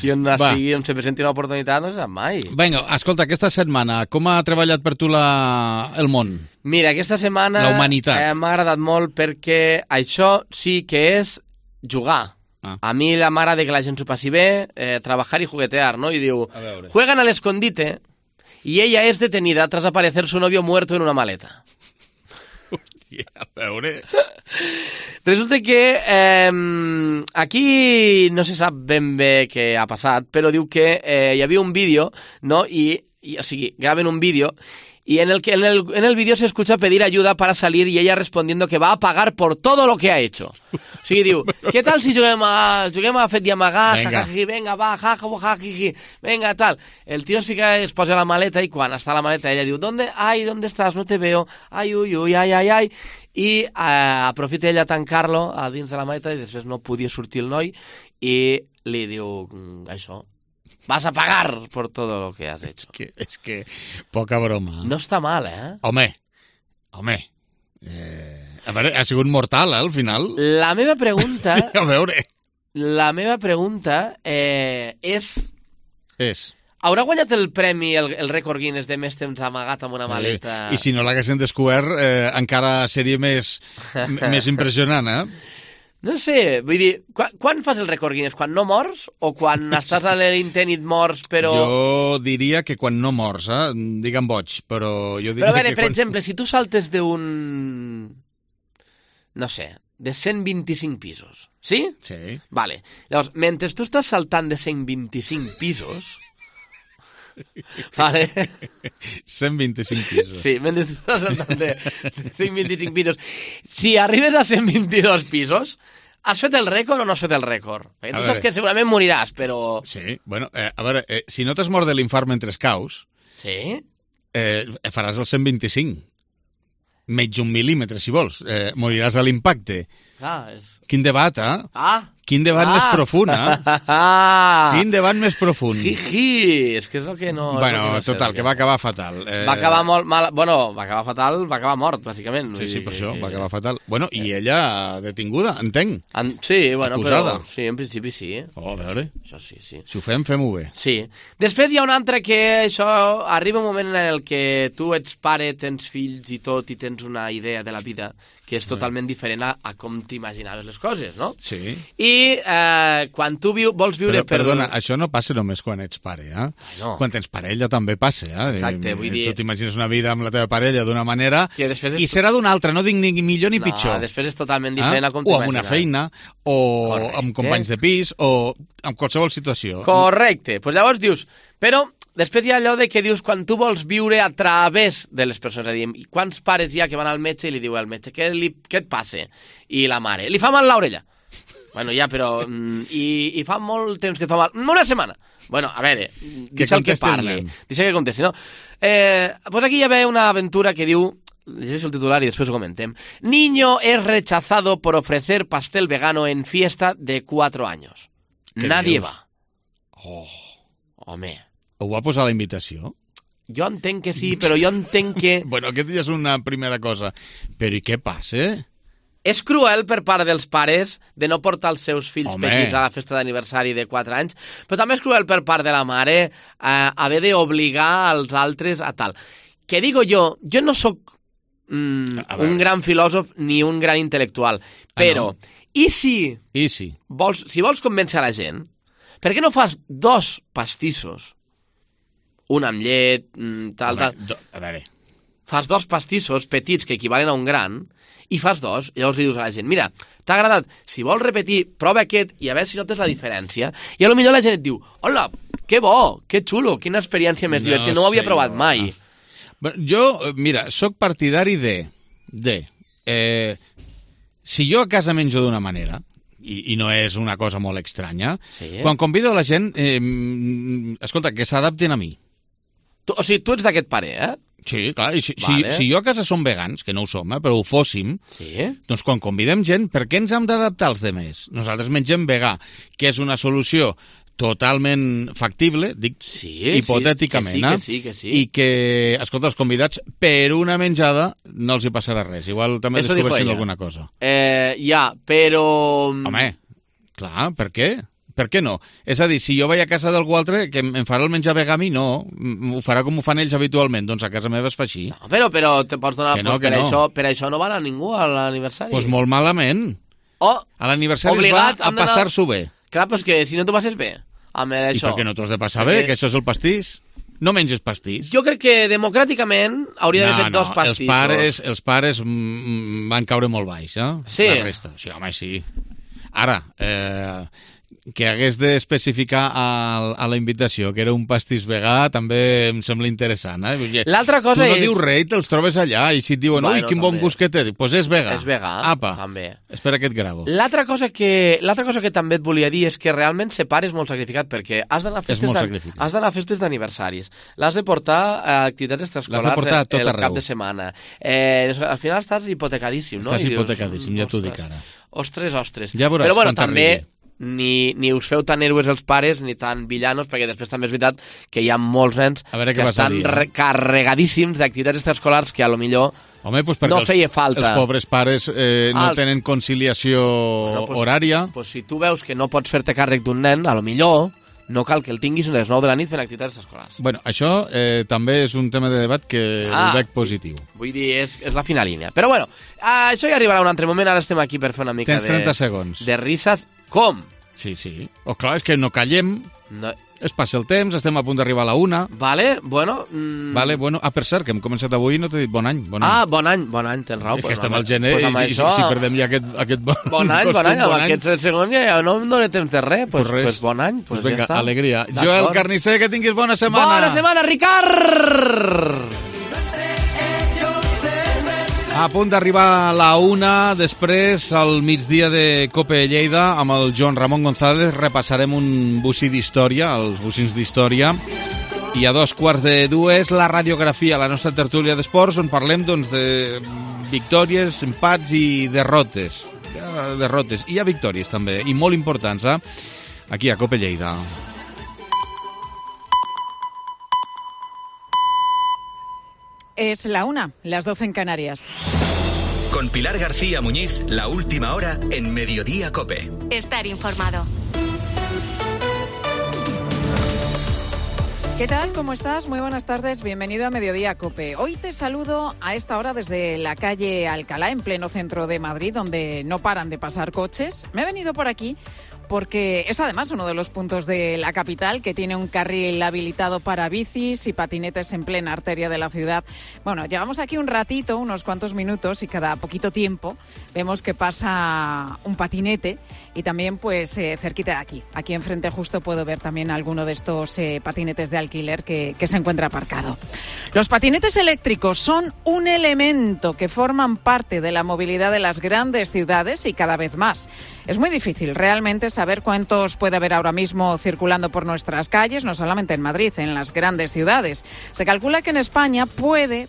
Jo on se presenti una oportunitat no se sap mai. Vinga, escolta, aquesta setmana, com ha treballat per tu el món? Mira, aquesta setmana... La humanitat. M'ha agradat molt perquè això sí que és jugar. A mi m'agrada que la gent s'ho passi bé, trabajar y juguetear, ¿no? Y diu, juegan al escondite y ella es detenida tras aparecer su novio muerto en una maleta. A veure... Resulta que aquí no se sap ben bé què ha passat, però diu que hi havia un vídeo, no? O sigui, graven un vídeo y en el vídeo se escucha pedir ayuda para salir y ella respondiendo que va a pagar por todo lo que ha hecho. O sigui, diu, què tal si juguem a fet i amagar, jajaji, venga, va, jajaji, venga, tal. El tío es posa la maleta y quan està la maleta ella diu, ¿dónde estás? No te veo. Ay, uy, uy, ay, ay, ay. I aprofita ella a tancar-lo a dins de la maleta i després no podia sortir el noi i li diu això. Vas a pagar por todo lo que has hecho. Es que poca broma. No està mal, eh? Home. A veure, ha sigut mortal, al final. La meva pregunta... A veure... La meva pregunta és... Haurà guanyat el premi, el rècord Guinness de més temps amagat amb una maleta? I si no l'haguessin descobert, encara seria més impressionant, No sé, vull dir, quan fas el rècord Guinness? Quan no mors o quan estàs a l'intent i et mors, però... Jo diria que quan no mors, digue'm boig, però jo diria però a veure, que per exemple, si tu saltes d'un... no sé, de 125 pisos, sí? Sí. Vale. Llavors, mentre tu estàs saltant de 125 pisos... Vale. 125 pisos. Sí, mentre tu estàs saltant de 125 pisos. Si arribes a 122 pisos, has fet el rècord o no has fet el rècord? Perquè tu saps que segurament moriràs, però... Sí, bueno, a veure, si no t'has mort de l'infart mentre caus, sí? Faràs el 125. Menys un mil·límetre, si vols. Moriràs a l'impacte. Quin debat, Quin debat més profund, Quin debat més profund. És que és el que no... Bueno, total, que va acabar fatal. Va acabar molt mal... Bueno, va acabar fatal, va acabar mort, bàsicament. Sí, per això, va acabar fatal. Bueno, i ella detinguda, entenc. Sí, bueno, acusada. Però... Sí, en principi sí. A veure. Això sí. Si ho fem-ho bé. Sí. Després hi ha un altre que això... Arriba un moment en el que tu ets pare, tens fills i tot, i tens una idea de la vida que és totalment diferent a com t'imaginaves les coses, no? Sí. I quan tu vols viure... Perdona, això no passa només quan ets pare, No. Quan tens parella també passa, Exacte, vull dir... Tu t'imagines una vida amb la teva parella d'una manera i serà d'una altra, no dic ni millor ni pitjor. Després és totalment diferent a com t'imagines. O amb una feina, o amb companys de pis, o amb qualsevol situació. Correcte. Pues llavors dius... Però... Després hi ha allò de que dius quan tu vols viure a través de les persones. És a dir, quants pares hi ha que van al metge i li diu al metge què et passa? I la mare, li fa mal l'orella. Bueno, ja, però... I fa molt temps que et fa mal. Una setmana. Bueno, a veure, deixa el que parli. Deixa que contesti, no? Pues aquí hi ha una aventura que diu... Llegeixo el titular i després ho comentem. Niño es rechazado por ofrecer pastel vegano en fiesta de 4 años. Nadie va. Home... Ho va posar a la invitació? Jo entenc que sí, però jo entenc que... Bueno, aquest ja és una primera cosa. Però i què passa? És cruel per part dels pares de no portar els seus fills petits a la festa d'aniversari de 4 anys, però també és cruel per part de la mare haver d'obligar els altres a tal. Que digo jo no sóc un gran filòsof ni un gran intel·lectual, però i si vols convèncer a la gent, per què no fas 2 pastissos? Un amb llet, tal. A veure. Fas 2 pastissos petits que equivalen a un gran i fas 2, i llavors li dius a la gent, mira, t'ha agradat, si vols repetir, prova aquest i a veure si notes la diferència. I potser la gent et diu, hola, que bo, que xulo, quina experiència més divertida, no ho havia provat mai. Jo, mira, sóc partidari si jo a casa menjo d'una manera, i no és una cosa molt estranya, quan convido a la gent, escolta, que s'adaptin a mi. O sigui, tu ets d'aquest pare, Sí, clar, si jo a casa som vegans, que no ho som, però ho fóssim, doncs quan convidem gent, per què ens hem d'adaptar als demés? Nosaltres mengem vegà, que és una solució totalment factible, dic hipotèticament, que sí. I que, escolta, els convidats per una menjada no els hi passarà res, igual també descobreixen alguna cosa. Però... Home, clar, per què? Per què no? És a dir, si jo vaig a casa d'algú altre que em farà el menjar vegà a mi, no. Ho farà com ho fan ells habitualment. Doncs a casa meva es fa així. No, però te pots donar... Per això no va anar ningú a l'aniversari. Doncs molt malament. A l'aniversari es va a passar-s'ho bé. Clar, però és que si no t'ho passes bé amb això... I per què no t'ho has de passar bé? Que això és el pastís? No menges pastís. Jo crec que democràticament hauria d'haver fet 2 pastissos. Els pares van caure molt baix, Sí? La resta. Sí, home, sí. Ara, que hagués d'especificar a la invitació que era un pastís vegà també em sembla interessant. L'altra cosa tu no dius res i te'ls trobes allà i si et diuen, ui, quin bon gust que té, doncs és vegà. És vegà, apa, també. Espera que et gravo. L'altra cosa que també et volia dir és que realment ser pare és molt sacrificat perquè has d'anar a festes d'aniversaris, l'has de portar a activitats extraescolars el cap de setmana. Al final estàs hipotecadíssim, no? Estàs hipotecadíssim, ja t'ho dic ara. Ostres. Ja veuràs, però bueno, també ni us feu tan héroes els pares ni tan villanos, perquè després també és veritat que hi ha molts nens que estan carregadíssims d'activitats extraescolars que a lo millor Home, doncs perquè no feia falta. Els pobres pares no tenen conciliació horària. Pues si tu veus que no pots fer-te càrrec d'un nen, a lo millor no cal que el tinguis a les 9 de la nit fent activitats escolars. Bueno, això també és un tema de debat que ho veig positiu. Vull dir, és la fina línia. Però bueno, això ja arribarà un altre moment, ara estem aquí per fer una mica Tens 30 segons. De risses. Com? Sí. Clar, és que no callem, es passa el temps, estem a punt d'arribar a la 1. Vale, bueno... per cert, que hem començat avui i no t'he dit bon any. Bon any, tens raó. Que estem al gener i si perdem ja aquest bon any, amb aquests segons ja no em dóna temps de res. Pues bon any, pues vinga, alegria. Joel Carnicer, que tinguis bona setmana. Bona setmana, Ricard! A punt d'arribar a la 1, després al migdia de Cope Lleida amb el Joan Ramon González repassarem un bocí d'història, els bocins d'història, i a 2:15 la radiografia, la nostra tertúlia d'esports, on parlem doncs, de victòries, empats i derrotes. Hi ha victòries també, i molt importants, aquí a Cope Lleida. Es la 1, las 12 en Canarias. Con Pilar García Muñiz, la última hora en Mediodía COPE. Estar informado. ¿Qué tal? ¿Cómo estás? Muy buenas tardes. Bienvenido a Mediodía COPE. Hoy te saludo a esta hora desde la calle Alcalá, en pleno centro de Madrid, donde no paran de pasar coches. Me he venido por aquí porque es además uno de los puntos de la capital que tiene un carril habilitado para bicis y patinetes en plena arteria de la ciudad. Bueno, llevamos aquí un ratito, unos cuantos minutos, y cada poquito tiempo vemos que pasa un patinete, y también pues cerquita de aquí enfrente justo puedo ver también alguno de estos patinetes de alquiler que se encuentra aparcado. Los patinetes eléctricos son un elemento que forman parte de la movilidad de las grandes ciudades y cada vez más. Es muy difícil realmente saber cuántos puede haber ahora mismo circulando por nuestras calles, no solamente en Madrid, en las grandes ciudades. Se calcula que en España puede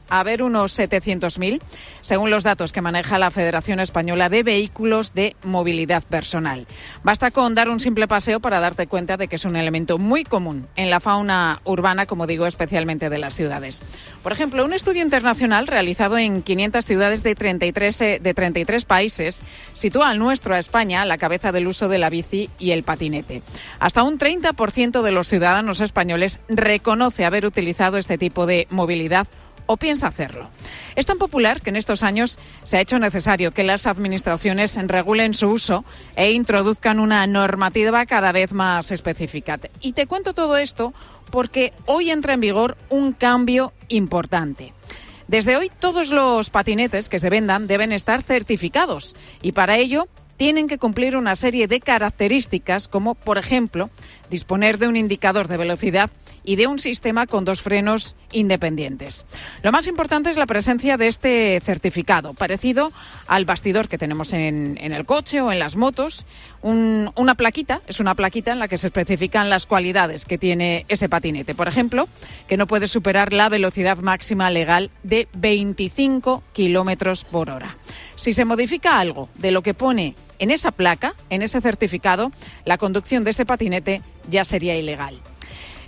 haber unos 700.000, según los datos que maneja la Federación Española de Vehículos de Movilidad Personal. Basta con dar un simple paseo para darte cuenta de que es un elemento muy común en la fauna urbana, como digo, especialmente de las ciudades. Por ejemplo, un estudio internacional realizado en 500 ciudades de 33 países sitúa al nuestro, a España, a la cabeza del uso de la bici y el patinete. Hasta un 30% de los ciudadanos españoles reconoce haber utilizado este tipo de movilidad o piensa hacerlo. Es tan popular que en estos años se ha hecho necesario que las administraciones regulen su uso e introduzcan una normativa cada vez más específica. Y te cuento todo esto porque hoy entra en vigor un cambio importante. Desde hoy todos los patinetes que se vendan deben estar certificados, y para ello tienen que cumplir una serie de características como, por ejemplo, disponer de un indicador de velocidad y de un sistema con 2 frenos independientes. Lo más importante es la presencia de este certificado, parecido al bastidor que tenemos en el coche o en las motos. Una plaquita en la que se especifican las cualidades que tiene ese patinete. Por ejemplo, que no puede superar la velocidad máxima legal de 25 kilómetros por hora. Si se modifica algo de lo que pone en esa placa, en ese certificado, la conducción de ese patinete ya sería ilegal.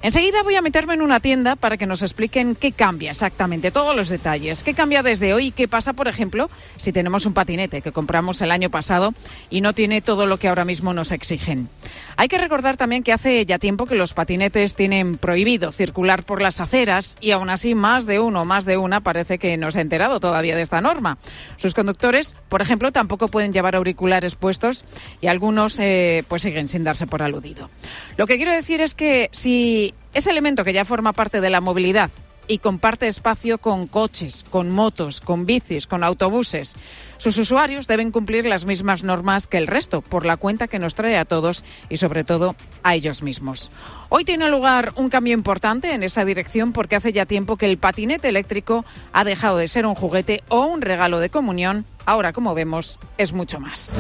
Enseguida voy a meterme en una tienda para que nos expliquen qué cambia exactamente, todos los detalles. ¿Qué cambia desde hoy? ¿Qué pasa, por ejemplo, si tenemos un patinete que compramos el año pasado y no tiene todo lo que ahora mismo nos exigen? Hay que recordar también que hace ya tiempo que los patinetes tienen prohibido circular por las aceras, y aún así más de una parece que no se ha enterado todavía de esta norma. Sus conductores, por ejemplo, tampoco pueden llevar auriculares puestos, y algunos pues siguen sin darse por aludido. Lo que quiero decir es que si ese elemento que ya forma parte de la movilidad y comparte espacio con coches, con motos, con bicis, con autobuses, sus usuarios deben cumplir las mismas normas que el resto, por la cuenta que nos trae a todos y sobre todo a ellos mismos. Hoy tiene lugar un cambio importante en esa dirección, porque hace ya tiempo que el patinete eléctrico ha dejado de ser un juguete o un regalo de comunión. Ahora, como vemos, es mucho más.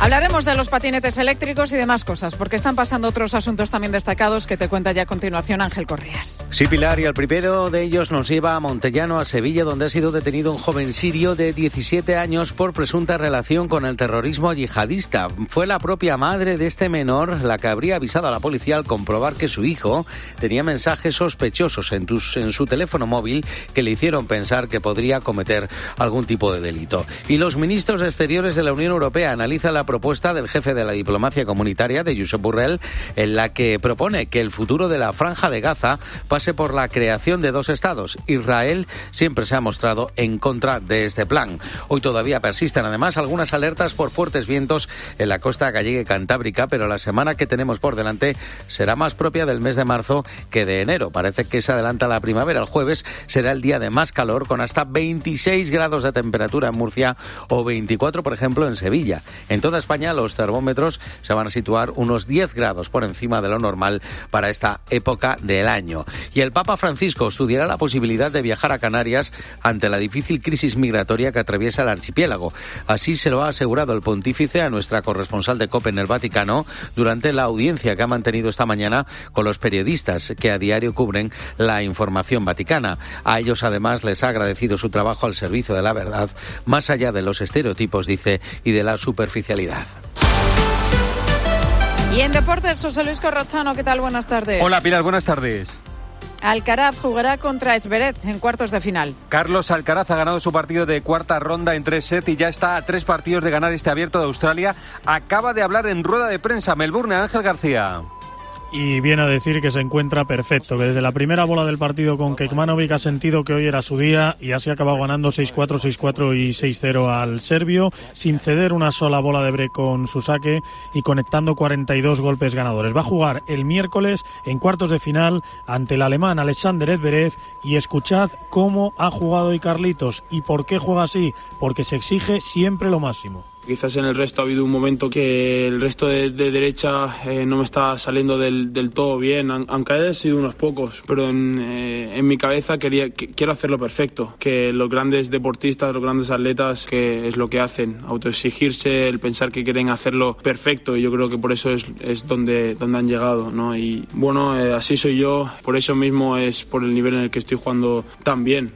Hablaremos de los patinetes eléctricos y demás cosas, porque están pasando otros asuntos también destacados que te cuenta ya a continuación Ángel Correas. Sí, Pilar, y el primero de ellos nos lleva a Montellano, a Sevilla, donde ha sido detenido un joven sirio de 17 años por presunta relación con el terrorismo yihadista. Fue la propia madre de este menor la que habría avisado a la policía al comprobar que su hijo tenía mensajes sospechosos en su teléfono móvil que le hicieron pensar que podría cometer algún tipo de delito. Y los ministros de Exteriores de la Unión Europea analizan la propuesta del jefe de la diplomacia comunitaria, de Josep Borrell, en la que propone que el futuro de la Franja de Gaza pase por la creación de 2 estados. Israel siempre se ha mostrado en contra de este plan. Hoy todavía persisten además algunas alertas por fuertes vientos en la costa gallega y cantábrica, pero la semana que tenemos por delante será más propia del mes de marzo que de enero. Parece que se adelanta la primavera. El jueves será el día de más calor, con hasta 26 grados de temperatura en Murcia o 24, por ejemplo, en Sevilla. En toda España los termómetros se van a situar unos 10 grados por encima de lo normal para esta época del año. Y el Papa Francisco estudiará la posibilidad de viajar a Canarias ante la difícil crisis migratoria que atraviesa el archipiélago. Así se lo ha asegurado el pontífice a nuestra corresponsal de COPE en el Vaticano durante la audiencia que ha mantenido esta mañana con los periodistas que a diario cubren la información vaticana. A ellos además les ha agradecido su trabajo al servicio de la verdad, más allá de los estereotipos, dice, y de la superficialidad. Y en deportes, José Luis Corrochano, ¿qué tal? Buenas tardes. Hola, Pilar, buenas tardes. Alcaraz jugará contra Zverev en cuartos de final. Carlos Alcaraz ha ganado su partido de cuarta ronda en 3 sets y ya está a 3 partidos de ganar este Abierto de Australia. Acaba de hablar en rueda de prensa Melbourne, Ángel García. Y viene a decir que se encuentra perfecto, que desde la primera bola del partido con Kekmanovic ha sentido que hoy era su día y así ha acabado ganando 6-4, 6-4 y 6-0 al serbio, sin ceder una sola bola de break con su saque y conectando 42 golpes ganadores. Va a jugar el miércoles en cuartos de final ante el alemán Alexander Zverev y escuchad cómo ha jugado hoy Carlitos y por qué juega así, porque se exige siempre lo máximo. Quizás en el resto ha habido un momento que el resto de derecha no me está saliendo del todo bien, aunque haya sido unos pocos, pero en mi cabeza quiero hacerlo perfecto, que los grandes deportistas, los grandes atletas, que es lo que hacen, autoexigirse, el pensar que quieren hacerlo perfecto, y yo creo que por eso es donde han llegado, ¿no? Y bueno, así soy yo, por eso mismo es por el nivel en el que estoy jugando tan bien.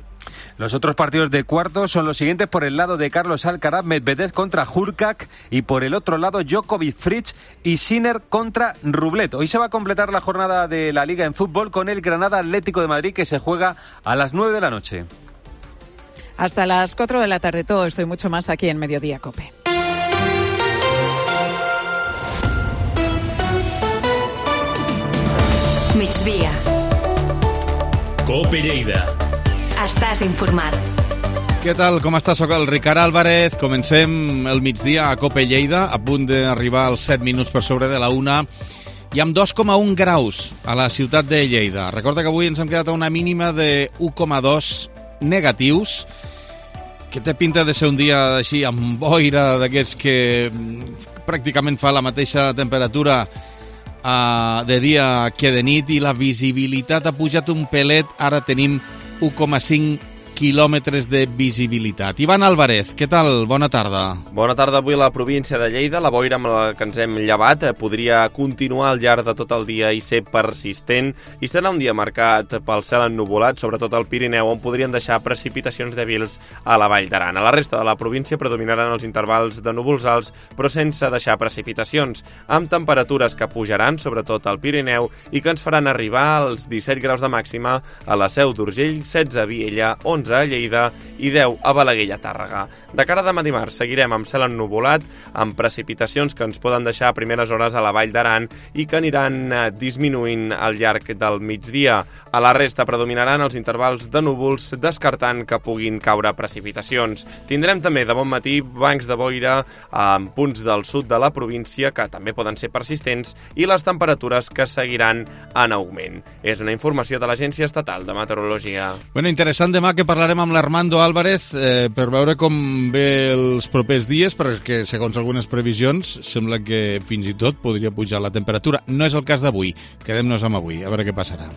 Los otros partidos de cuartos son los siguientes: por el lado de Carlos Alcaraz, Medvedev contra Hurkacz, y por el otro lado Djokovic, Fritz y Sinner contra Rublev. Hoy se va a completar la jornada de la Liga en fútbol con el Granada Atlético de Madrid, que se juega a las 9 de la noche. Hasta las 4 de la tarde, todo esto y mucho más aquí en Mediodía COPE. Migdia. COPE Lleida. Estàs informat. Què tal? Com estàs? Soc el Ricard Álvarez. Comencem el migdia a COPE Lleida, a punt d'arribar als 7 minuts per sobre de la 1, i amb 2,1 graus a la ciutat de Lleida. Recorda que avui ens hem quedat a una mínima de 1,2 negatius, que té pinta de ser un dia així amb boira, d'aquests que pràcticament fa la mateixa temperatura de dia que de nit, i la visibilitat ha pujat un pelet. Ara tenim 1,5 quilòmetres de visibilitat. Ivan Álvarez, què tal? Bona tarda. Bona tarda. Avui a la província de Lleida, la boira amb la que ens hem llevat podria continuar al llarg de tot el dia i ser persistent, i serà un dia marcat pel cel ennuvolat, sobretot al Pirineu, on podrien deixar precipitacions dèbils a la Vall d'Aran. A la resta de la província predominaran els intervals de núvols alts, però sense deixar precipitacions, amb temperatures que pujaran, sobretot al Pirineu, i que ens faran arribar als 17 graus de màxima a la Seu d'Urgell, 16 a Viella, 11 a Lleida i 10 a Balaguer i a Tàrrega. De cara a demà dimarts seguirem amb cel ennuvolat, amb precipitacions que ens poden deixar a primeres hores a la Vall d'Aran i que aniran disminuint al llarg del migdia. A la resta predominaran els intervals de núvols, descartant que puguin caure precipitacions. Tindrem també de bon matí bancs de boira en punts del sud de la província que també poden ser persistents, i les temperatures que seguiran en augment. És una informació de l'Agència Estatal de Meteorologia. Bueno, interessant demà que parlarem amb l'Armando Álvarez per veure com ve els propers dies, perquè segons algunes previsions sembla que fins i tot podria pujar la temperatura. No és el cas d'avui. Quedem-nos amb avui, a veure què passarà.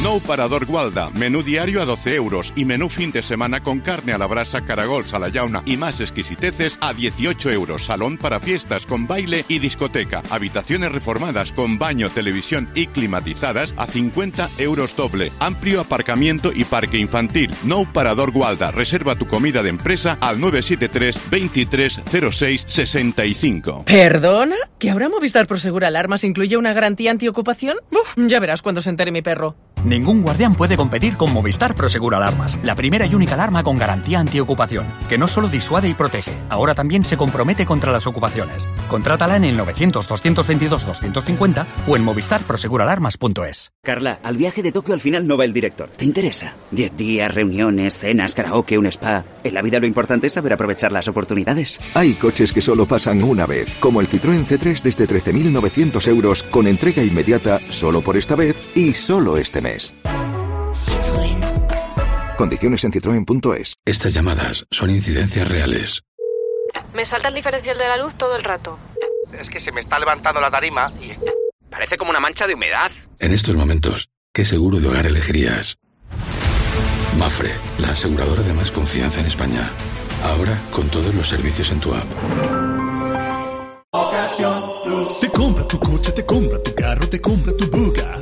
Nou Parador Gualda, menú diario a 12 euros y menú fin de semana con carne a la brasa, caragols a la llauna y más exquisiteces a 18 euros. Salón para fiestas con baile y discoteca. Habitaciones reformadas con baño, televisión y climatizadas a 50 euros doble. Amplio aparcamiento y parque infantil. Nou Parador Gualda. Reserva tu comida de empresa al 973 23 06 65. ¿Perdona? ¿Que ahora Movistar Prosegur Alarmas incluye una garantía antiocupación? Ya verás cuando se entere mi perro. Ningún guardián puede competir con Movistar Prosegur Alarmas, la primera y única alarma con garantía antiocupación, que no solo disuade y protege, ahora también se compromete contra las ocupaciones. Contrátala en el 900-222-250 o en movistarproseguralarmas.es. Carla, al viaje de Tokio al final no va el director. ¿Te interesa? 10 días, reuniones, cenas, karaoke, un spa. En la vida lo importante es saber aprovechar las oportunidades. Hay coches que solo pasan una vez, como el Citroën C3 desde 13.900 euros, con entrega inmediata solo por esta vez y solo este mes. Citroën. Condiciones en citroen.es. Estas llamadas son incidencias reales. Me salta el diferencial de la luz todo el rato. Es que se me está levantando la tarima y parece como una mancha de humedad. En estos momentos, ¿qué seguro de hogar elegirías? Mafre, la aseguradora de más confianza en España. Ahora con todos los servicios en tu app. Te compra tu coche, te compra tu carro, te compra tu buga.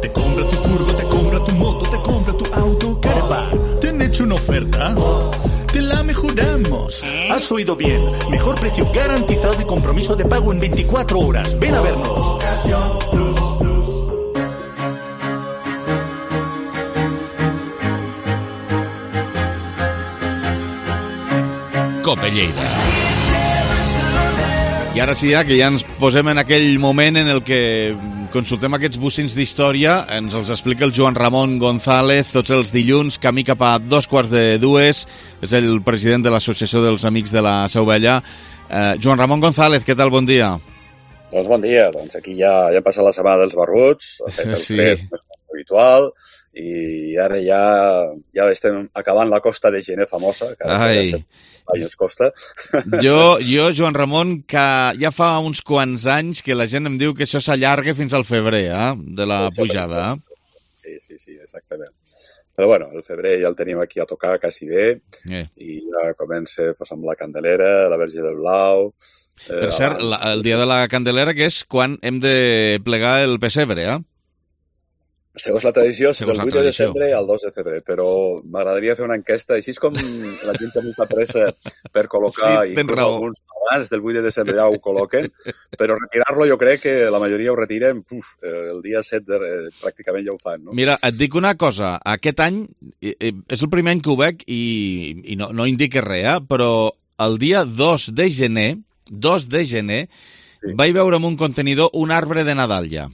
Te compra tu furgo, te compra tu moto, te compra tu auto, caravan. ¿Te han hecho una oferta? Te la mejoramos. Has oído bien. Mejor precio garantizado y compromiso de pago en 24 horas. Ven a vernos. Cope Lleida. I ara sí, que ja ens posem en aquell moment en el que consultem aquests bocins d'història, ens els explica el Joan Ramon González tots els dilluns, camí cap a 2:45, és el president de l'Associació dels Amics de la Seu Vella. Joan Ramon González, què tal? Bon dia. Doncs bon dia, doncs aquí ja ha passat la setmana dels barbuts, ha fet el fred més habitual, i ara ja estem acabant la costa de gener famosa, que ara anys costa. Jo, Joan Ramon, que ja fa uns quants anys que la gent em diu que això s'allarga fins al febrer, de la pujada. Sí, exactament. Però bueno, el febrer ja el tenim aquí a tocar quasi bé, i ja comença amb la Candelera, la Verge del Blau... Per cert, el dia de la Candelera, que és quan hem de plegar el pessebre, Segons la tradició, del 8 de desembre al 2 de febrer, però m'agradaria fer una enquesta, així com la gent té molta pressa per col·locar, i alguns abans del 8 de desembre ja ho col·loquen, però retirar-lo jo crec que la majoria ho retiren, el dia 7 pràcticament ja ho fan, no? Mira, et dic una cosa, aquest any és el primer any que ho veig i no indica res, però el dia 2 de gener, vaig veure en un contenidor un arbre de Nadal ja.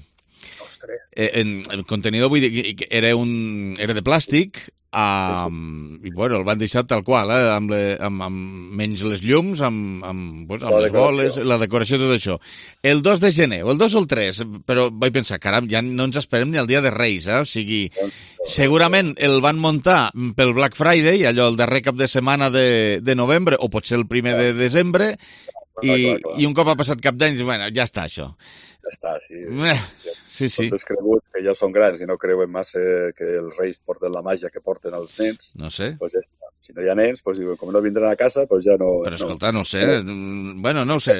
El contenidor, vull dir, era de plàstic, i bueno, el van deixar tal qual, amb menys les llums, amb les boles, la decoració, tot això. El 2 de gener, o el 2 o el 3, però vaig pensar, caram, ja no ens esperem ni el dia de Reis, o sigui, segurament el van muntar pel Black Friday, allò el darrer cap de setmana de novembre, o potser el primer de desembre, i un cop ha passat cap d'any, bueno, ja està això. Ja està, sí. Sí. Tots cregut que ja són grans i no creuen massa que els reis porten la màgia que porten els nens. No sé. Pues ja està. Si no hi ha nens, pues, com no vindran a casa, pues ja no... Però escolta, no sé. Bueno, no ho sé.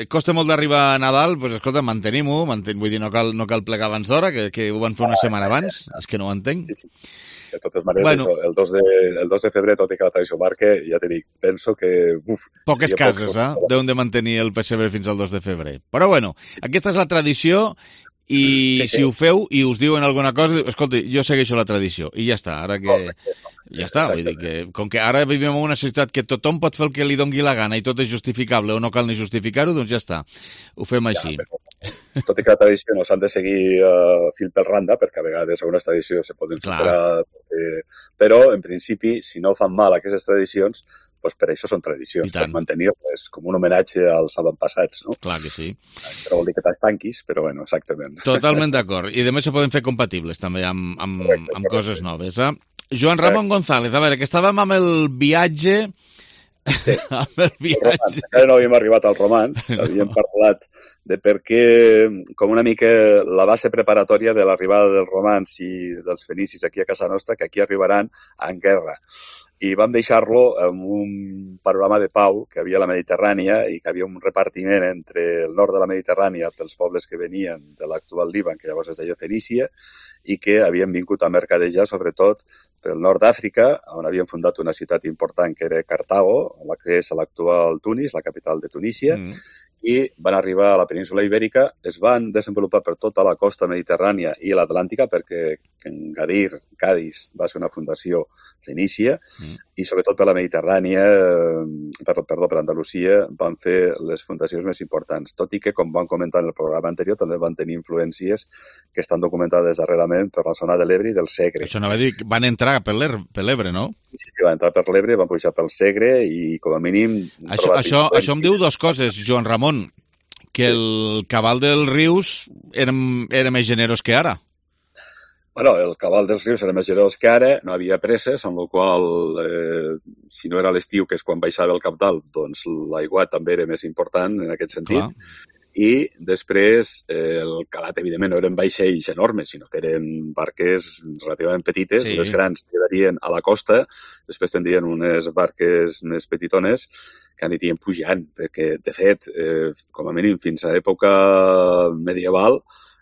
Costa molt d'arribar a Nadal, pues escolta, mantenim-ho. Vull dir, no cal plegar abans d'hora, que ho van fer una setmana abans. És que no ho entenc. Sí. De totes maneres, el 2 de febrer, tot i que la tradició marca, ja t'he dit, penso que... Poques cases, deuen de mantenir el pessebre fins al 2 de febrer. Però bueno, aquesta és la tradició i si ho feu i us diuen alguna cosa, escolta, jo segueixo la tradició i ja està, ara que... Ja està, vull dir que com que ara vivim en una societat que tothom pot fer el que li dongui la gana i tot és justificable o no cal ni justificar-ho, doncs ja està, ho fem així. Tot i que la tradició no s'han de seguir fil per randa, perquè a vegades algunes tradicions se poden superar, però en principi, si no fan mal aquestes tradicions, doncs per això són tradicions, per mantenir-les com un homenatge als avantpassats, no? Clar que sí. Però vol dir que t'estanquis, però bueno, exactament. Totalment d'acord. I a més se poden fer compatibles també amb coses noves, Joan Ramon González, a veure, que estàvem amb el viatge Sí. Amb el viatge. Encara no havíem arribat al romanç, havíem parlat de per què, com una mica la base preparatòria de l'arribada dels romans i dels fenicis aquí a casa nostra, que aquí arribaran en guerra. I vam deixar-lo amb un panorama de pau que havia a la Mediterrània i que havia un repartiment entre el nord de la Mediterrània pels pobles que venien de l'actual Líban, que llavors es deia Fenícia, i que havien vingut a mercadejar sobretot pel nord d'Àfrica, on havien fundat una ciutat important que era Cartago, la que és l'actual Tunis, la capital de Tunísia, i van arribar a la península Ibèrica, es van desenvolupar per tota la costa mediterrània i l'Atlàntica, perquè Gadir, Cadis, va ser una fundació fenícia, i sobretot per la Mediterrània, per Andalusia, van fer les fundacions més importants. Tot i que, com vam comentar en el programa anterior, també van tenir influències que estan documentades darrerament per la zona de l'Ebre i del Segre. Això no va dir que van entrar per l'Ebre, no? Sí, van entrar per l'Ebre, van pujar pel Segre i, com a mínim... Això em diu dues coses, Joan Ramon, que el cabal dels rius era més generós que ara. Bueno, el cabal dels rius era més generós que ara, no havia presses, amb la qual si no era l'estiu, que és quan baixava el cabdal, doncs l'aigua també era més important en aquest sentit. Clar. I després el calat, evidentment, no eren vaixells enormes, sinó que eren barques relativament petites, sí. Les grans quedarien a la costa, després tindrien unes barques més petitones que anirien pujant, perquè, de fet, com a mínim fins a època medieval,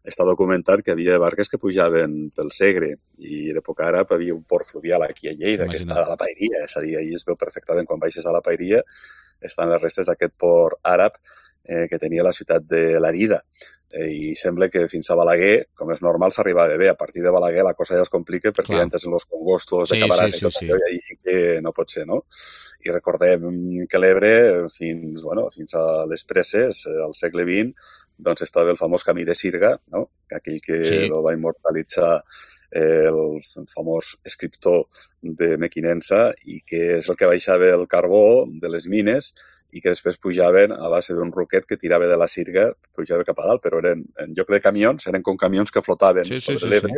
està documentat que havia barques que pujaven pel Segre i d'època àrab havia un port fluvial aquí a Lleida, que està a la Paeria, és a dir, ahir es veu perfectament quan baixes a la Paeria, estan les restes d'aquest port àrab que tenia la ciutat de Lérida. I sembla que fins a Balaguer, com és normal, s'arribava bé. A partir de Balaguer la cosa ja es complica perquè ja entres en els congostos de Camarasa i tot això, i ahir sí que no pot ser, no? I recordem que l'Ebre, fins a les presses, al segle XX, doncs estava el famós camí de Sirga, no? Aquell que el va immortalitzar el famós escriptor de Mequinensa i que és el que baixava el carbó de les mines i que després pujaven a base d'un roquet que tirava de la Sirga, pujava cap a dalt, però eren, en lloc de camions, eren com camions que flotaven sobre l'Ebre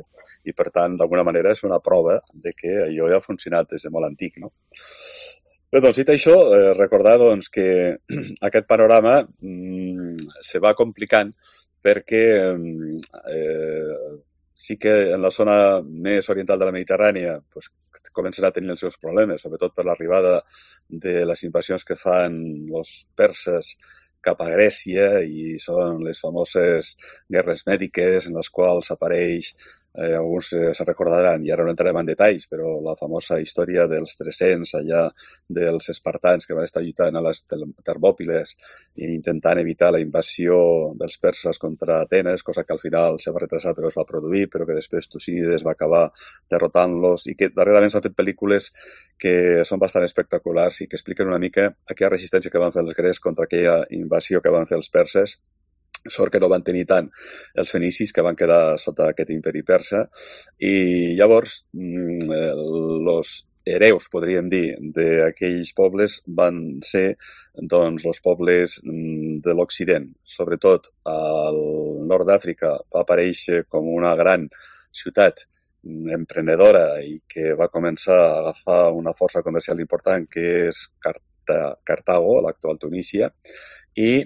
i, per tant, d'alguna manera és una prova de que allò ja ha funcionat des de molt antic, no? Bé, doncs, dit això, recordar doncs, que aquest panorama se va complicant perquè sí que en la zona més oriental de la Mediterrània pues, comencen a tenir els seus problemes, sobretot per l'arribada de les invasions que fan els perses cap a Grècia i són les famoses guerres mèdiques en les quals apareix, alguns se'n recordaran, i ara no entrarem en detalls, però la famosa història dels 300 allà dels espartans que van estar lluitant a les Termòpiles i intentant evitar la invasió dels perses contra Atenes, cosa que al final se va retrasar però es va produir, però que després Tucídides va acabar derrotant-los i que darrerament s'han fet pel·lícules que són bastant espectaculars i que expliquen una mica aquella resistència que van fer els grecs contra aquella invasió que van fer els perses. Sort que no van tenir tant els fenicis que van quedar sota aquest imperi persa i llavors els hereus, podríem dir, d'aquells pobles van ser doncs, els pobles de l'Occident. Sobretot al nord d'Àfrica va aparèixer com una gran ciutat emprenedora i que va començar a agafar una força comercial important que és Cartago, l'actual Tunísia, i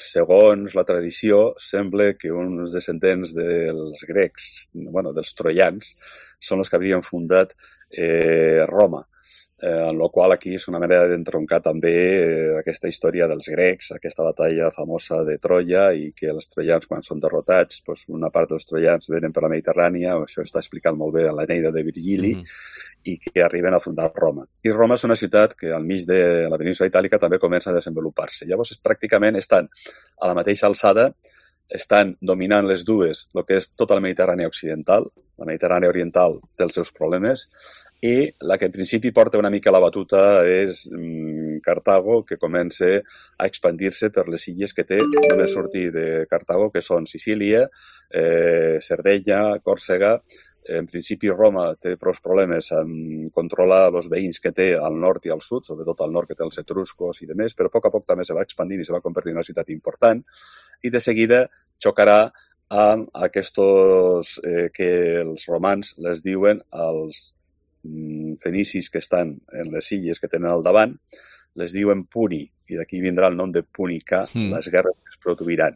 segons la tradició, sembla que uns descendents dels grecs, dels troians, són els que haurien fundat Roma. En la qual aquí és una manera d'entroncar també aquesta història dels grecs, aquesta batalla famosa de Troia i que els troians quan són derrotats, doncs una part dels troians venen per la Mediterrània, això està explicat molt bé en l'Eneida de Virgili, i que arriben a fundar Roma. I Roma és una ciutat que al mig de la península itàlica també comença a desenvolupar-se. Llavors pràcticament estan a la mateixa alçada, estan dominant les dues, el que és tota la Mediterrània occidental, la Mediterrània oriental té els seus problemes, i la que en principi porta una mica la batuta és Cartago, que comença a expandir-se per les illes que té només sortir de Cartago, que són Sicília, Sardenya, Còrsega. En principi Roma té prou problemes en controlar els veïns que té al nord i al sud, sobretot al nord que té els etruscos i demés, però a poc també se va expandint i se va convertir en una ciutat important i de seguida xocarà amb aquests que els romans les diuen als fenicis que estan en les illes que tenen al davant, les diuen puni, i d'aquí vindrà el nom de púnica, les guerres que es produiran.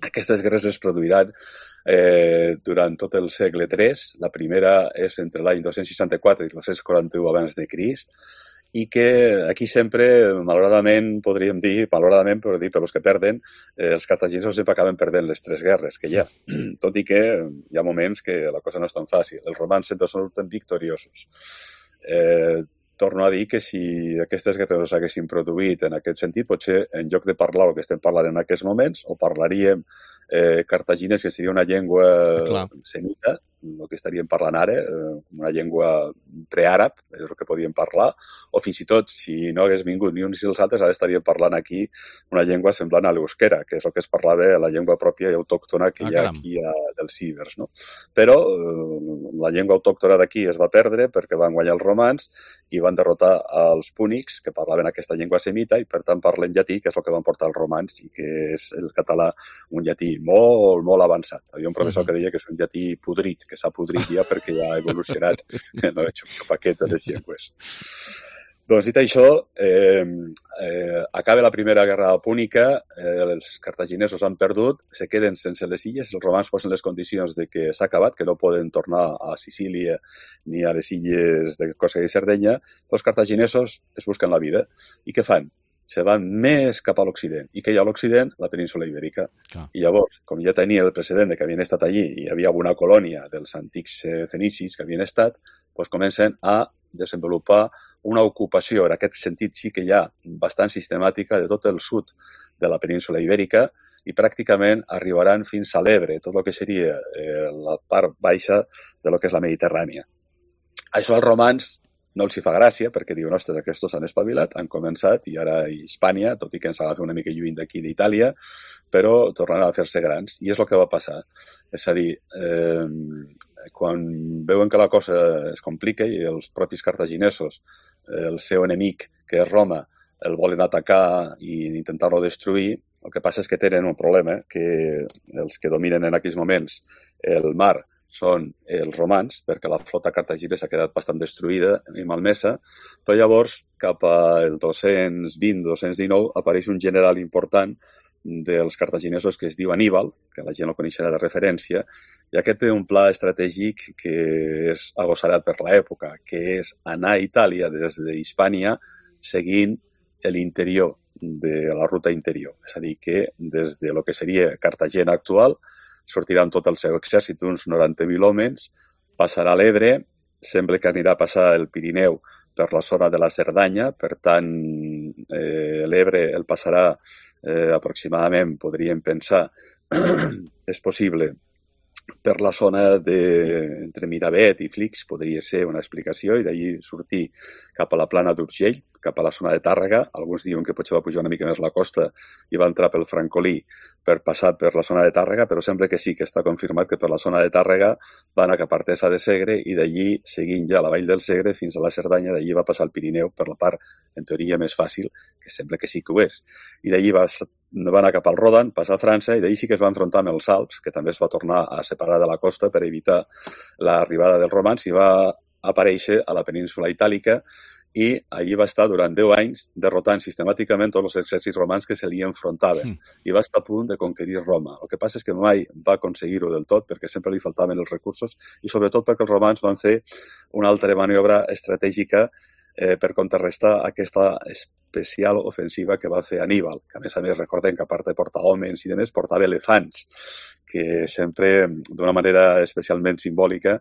Aquestes guerres es produiran durant tot el segle III. La primera és entre l'any 264 i 241 abans de Crist, i que aquí sempre, malauradament, podríem dir, malauradament, però dir per els que perden, els cartaginesos sempre acaben perdent les 3 guerres que hi ha. Tot i que hi ha moments que la cosa no és tan fàcil. Els romans sempre surten victoriosos. Torno a dir que si aquestes guerres s'haguessin produït en aquest sentit, potser en lloc de parlar el que estem parlant en aquests moments, o parlaríem cartaginès, que seria una llengua semita, el que estaríem parlant ara, una llengua preàrab, és el que podíem parlar, o fins i tot, si no hagués vingut ni uns ni els altres, ara estaríem parlant aquí una llengua semblant a l'euskera, que és el que es parlava, la llengua pròpia i autòctona que hi ha aquí dels cibers, no? Però la llengua autòctona d'aquí es va perdre perquè van guanyar els romans i van derrotar els púnics, que parlaven aquesta llengua semita, i per tant parlen llatí, que és el que van portar els romans, i que és el català, un llatí molt, molt avançat. Hi havia un professor que deia que és un llatí podrit, que s'ha podrit ja perquè ja ha evolucionat, no he xupaquet de les llengües. Doncs dit això, acaba la primera guerra púnica, els cartaginesos han perdut, se queden sense les illes, els romans posen les condicions de que s'ha acabat, que no poden tornar a Sicília ni a les illes de Còrsega i Sardenya, els cartaginesos es busquen la vida. I què fan? Se van més cap a l'Occident. I què hi ha a l'Occident? La península Ibèrica. I llavors, com ja tenia el precedent que havien estat allí i hi havia una colònia dels antics fenicis que havien estat, doncs comencen a desenvolupar una ocupació. En aquest sentit sí que hi ha bastant sistemàtica de tot el sud de la península Ibèrica i pràcticament arribaran fins a l'Ebre, tot el que seria la part baixa de lo que és la Mediterrània. Això als romans no els hi fa gràcia, perquè diuen, ostres, aquests s'han espavilat, han començat, i ara Hispània, tot i que ens agafa una mica lluny d'aquí d'Itàlia, però tornaran a fer-se grans. I és el que va passar. És a dir, quan veuen que la cosa es complica i els propis cartaginesos, el seu enemic, que és Roma, el volen atacar i intentar-lo destruir, el que passa és que tenen un problema, que els que dominen en aquells moments el mar són els romans, perquè la flota cartaginesa s'ha quedat bastant destruïda i malmesa, però llavors, cap al 220-219, apareix un general important dels cartaginesos que es diu Aníbal, que la gent el coneixerà de referència, i aquest té un pla estratègic que és agossarat per l'època, que és anar a Itàlia des d'Hispània seguint l'interior de la ruta interior. És a dir, que des de lo que seria Cartagena actual sortirà amb tot el seu exèrcit, uns 90.000 homes, passarà l'Ebre, sembla que anirà a passar el Pirineu per la zona de la Cerdanya, per tant, l'Ebre el passarà aproximadament, podríem pensar, és possible, per la zona entre Miravet i Flix, podria ser una explicació, i d'allí sortir cap a la plana d'Urgell, cap a la zona de Tàrrega. Alguns diuen que potser va pujar una mica més la costa i va entrar pel Francolí per passar per la zona de Tàrrega, però sembla que sí que està confirmat que per la zona de Tàrrega va anar cap a Artesa de Segre i d'allí, seguint ja la vall del Segre fins a la Cerdanya, d'allí va passar el Pirineu per la part, en teoria, més fàcil, que sembla que sí que ho és. I d'allí va anar cap al Rodan, passar a França, i d'allí sí que es va enfrontar amb els Alps, que també es va tornar a separar de la costa per evitar l'arribada dels romans, i va aparèixer a la península Itàlica, i allí va estar durant 10 anys derrotant sistemàticament tots els exèrcits romans que se li enfrontaven. I va estar a punt de conquerir Roma. El que passa és que mai va aconseguir-ho del tot perquè sempre li faltaven els recursos i sobretot perquè els romans van fer una altra maniobra estratègica per contrarrestar aquesta especial ofensiva que va fer Aníbal, que a més recordem que a part de portar homes i demés, portava elefants, que sempre, d'una manera especialment simbòlica,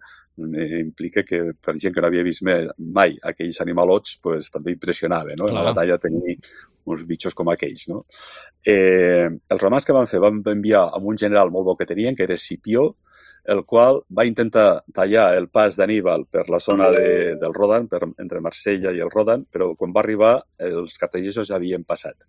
implica que per gent que no havia vist mai aquells animalots, pues, també impressionava, no? En la batalla tenir uns bitxos com aquells, no? Els romans que van fer? Van enviar amb un general molt bo que tenien, que era Escipió, el qual va intentar tallar el pas d'Aníbal per la zona del Rodan, entre Marsella i el Rodan, però quan va arribar els cartaginesos ja havien passat.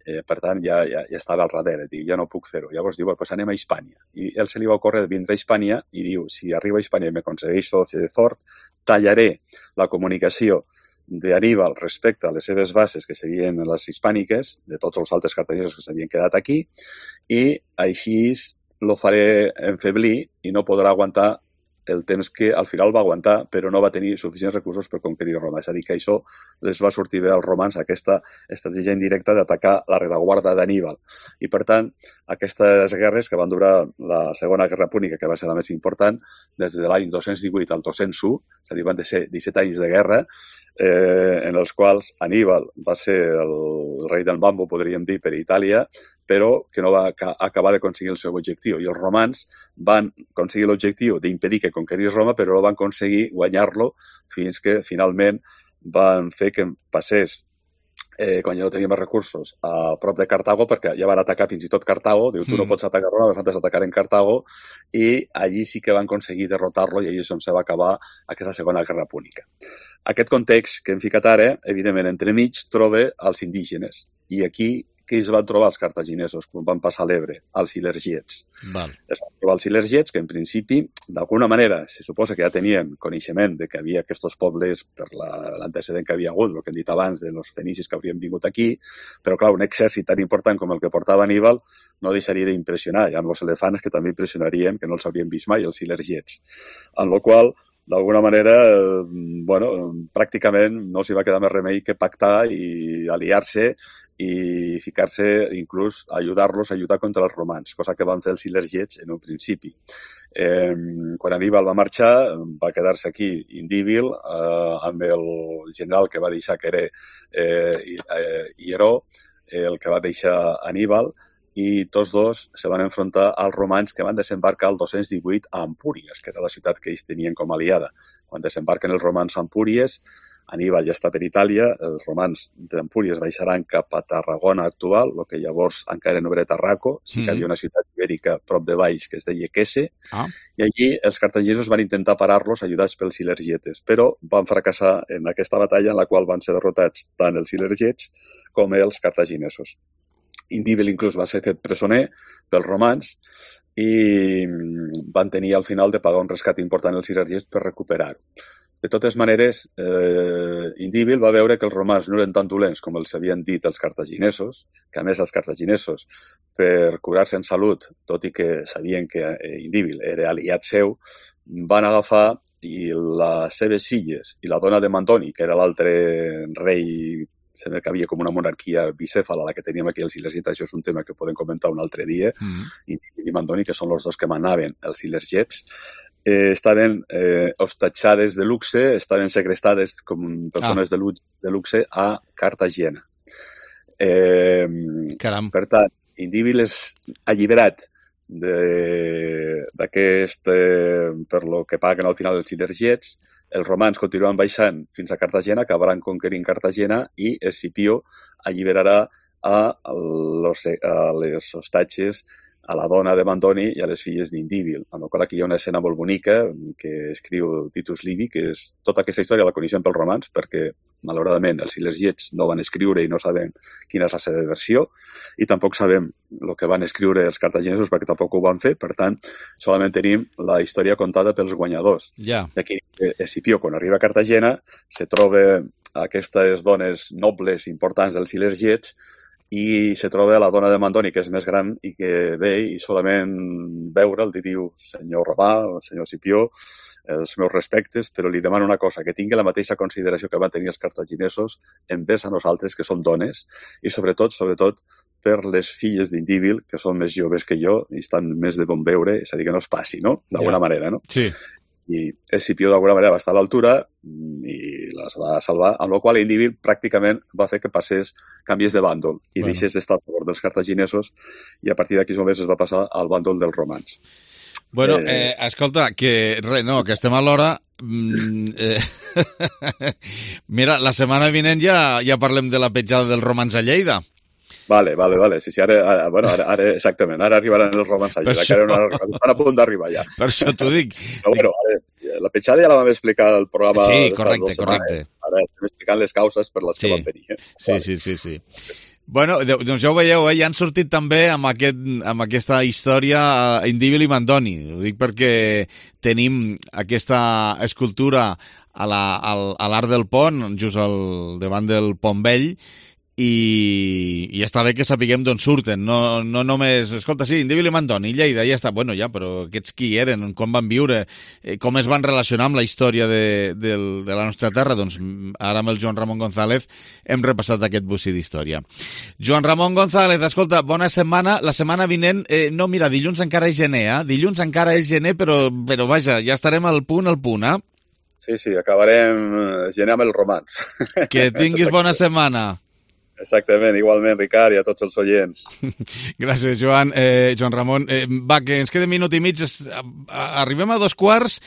Per tant, ja estava al darrere, diu, ja no puc fer-ho. Llavors diu, pues anem a Hispània. I ell se li va ocórrer vindre a Hispània i diu, si arriba a Hispània i m'aconsegueixo fer fort, tallaré la comunicació d'Aníbal respecte a les seves bases, que serien les hispàniques, de tots els altres cartaginesos que s'havien quedat aquí, i així lo faré enfeblir i no podrà aguantar el temps que al final va aguantar, però no va tenir suficients recursos per conquerir Roma. És a dir, que això les va sortir bé als romans, aquesta estratègia indirecta d'atacar la rereguarda d'Aníbal. I, per tant, aquestes guerres que van durar la Segona Guerra Púnica, que va ser la més important, des de l'any 218 al 201, és a dir, van ser 17 anys de guerra, en els quals Aníbal va ser el rei del Mambo, podríem dir, per Itàlia, però que no va acabar d'aconseguir el seu objectiu. I els romans van aconseguir l'objectiu d'impedir que conquerís Roma, però no van aconseguir guanyar-lo fins que finalment van fer que passés, quan ja no tenia més recursos, a prop de Cartago, perquè ja van atacar fins i tot Cartago, diu, tu no pots atacar Roma, nosaltres atacarem Cartago, i allí sí que van aconseguir derrotar-lo i allí és on se va acabar aquesta Segona Guerra Púnica. Aquest context que hem ficat ara, evidentment, entremig, troba els indígenes. I aquí, què es van trobar els cartaginesos quan van passar l'Ebre? Els ilergiets. Es van trobar els ilergiets, que en principi, d'alguna manera, se suposa que ja tenien coneixement de que havia aquests pobles per l'antecedent que havia hagut, el que hem dit abans, de los fenicis que haurien vingut aquí, però clar, un exèrcit tan important com el que portava Aníbal no deixaria d'impressionar. Hi ha els elefants que també impressionarien, que no els haurien vist mai, els ilergiets. En la qual d'alguna manera, pràcticament no s'hi va quedar més remei que pactar i aliar-se i ficar-se, inclús, ajudar-los a lluitar contra els romans, cosa que van fer els ilergiets en un principi. Quan Aníbal va marxar, va quedar-se aquí Indíbil amb el general que va deixar, que era Hieró, el que va deixar Aníbal, i tots dos se van enfrontar als romans que van desembarcar el 218 a Empúries, que era la ciutat que ells tenien com a aliada. Quan desembarquen els romans a Empúries, Aníbal ja està per Itàlia, els romans d'Empúries baixaran cap a Tarragona actual, el que llavors encara no era Tarraco, sí que havia una ciutat ibèrica prop de Valls que es deia Quese, i allí els cartaginesos van intentar parar-los ajudats pels ilergietes, però van fracassar en aquesta batalla en la qual van ser derrotats tant els ilergets com els cartaginesos. Indíbil inclús va ser fet presoner pels romans i van tenir al final de pagar un rescat important als ilergets per recuperar-ho. De totes maneres, Indíbil va veure que els romans no eren tan dolents com els havien dit els cartaginesos, que a més els cartaginesos, per curar-se en salut, tot i que sabien que Indíbil era aliat seu, van agafar i les seves filles i la dona de Mandoni, que era l'altre rei, sembla que havia com una monarquia bicèfala, la que teníem aquí els ilergets, això és un tema que podem comentar un altre dia, Indíbil i Mandoni, que són els dos que manaven els ilergets, estaven hostatjades de luxe, estaven segrestades com persones de luxe a Cartagena. Per tant, Indíbil és alliberat d'aquest, per lo que paguen al final els ilergets. Els romans continuen baixant fins a Cartagena, acabaran conquerint Cartagena i Escipió alliberarà a les hostatges, a la dona de Mandoni i a les filles d'Indíbil. Amb la qual aquí hi ha una escena molt bonica que escriu Titus Livi, que és tota aquesta història la coneixem pels romans, perquè malauradament els ilergiets no van escriure i no sabem quina és la seva versió, i tampoc sabem el que van escriure els cartaginesos perquè tampoc ho van fer, per tant, solament tenim la història contada pels guanyadors. Aquí, Escipió, quan arriba a Cartagena, se troba aquestes dones nobles importants dels ilergiets i se troba la dona de Mandoni, que és més gran i que ve i solament veure'l li diu senyor Romà o senyor Escipió, els meus respectes, però li demano una cosa, que tingui la mateixa consideració que van tenir els cartaginesos envers a nosaltres, que som dones, i sobretot per les filles d'Indíbil, que són més joves que jo i estan més de bon veure, és a dir, que no es passi, no? D'alguna manera, no? Sí. I Escipió d'alguna manera va estar a l'altura i les va salvar, amb la qual Indíbil pràcticament va fer que passés, canviés de bàndol i deixés d'estar a favor dels cartaginesos i a partir d'aquí només es va passar al bàndol dels romans. Bueno, escolta, que estem a l'hora. Mira, la setmana vinent ja parlem de la petjada dels romans a Lleida. Vale. Sí, ara exactament, ara arribaran els romans a Lleida, que estan a punt d'arribar ja. Per això t'ho dic. Però la petjada ja la vam explicar al programa. Sí, correcte. Ara estem explicant les causes per les que van venir. Sí. Bueno, doncs ja ho veieu, ja han sortit també amb aquesta història Indíbil i Mandoni. Ho dic perquè tenim aquesta escultura a l'Arc del Pont, just al davant del Pont Vell, i està bé que sapiguem d'on surten, no només, escolta, sí, Indíbil i Mandoni, Lleida, ja està, bueno, ja, però aquests qui eren, com van viure, com es van relacionar amb la història de la nostra terra, doncs ara amb el Joan Ramon González hem repassat aquest bocí d'història. Joan Ramon González, escolta, bona setmana, la setmana vinent, no, mira, dilluns encara és gener, dilluns encara és gener, però vaja, ja estarem al punt, Sí, acabarem gener amb el romanç. Que tinguis bona setmana. Exactament, igualment, Ricard, i a tots els oients. Gràcies, Joan. Joan Ramon, va, que ens queda un minut i mig. Arribem a 2:15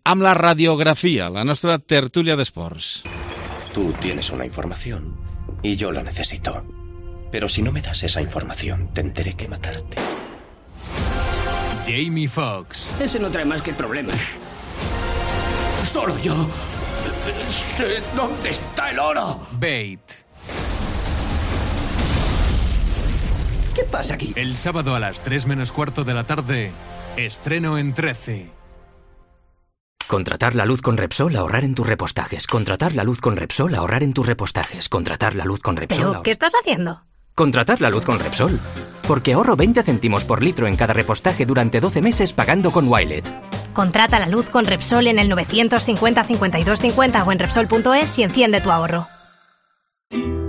amb la radiografia, la nostra tertúlia d'esports. Tú tienes una información y yo la necesito. Pero si no me das esa información, tendré que matarte. Jamie Foxx. Ese no trae más que problemas. Solo yo sé dónde está el oro. Bait. ¿Qué pasa aquí? El sábado a las 3:15 de la tarde, estreno en 13. Contratar la luz con Repsol, ahorrar en tus repostajes. Contratar la luz con Repsol, ahorrar en tus repostajes. Contratar la luz con Repsol. ¿Pero qué estás haciendo? Contratar la luz con Repsol. Porque ahorro 20 céntimos por litro en cada repostaje durante 12 meses pagando con Wilet. Contrata la luz con Repsol en el 950 52 50 o en Repsol.es y enciende tu ahorro.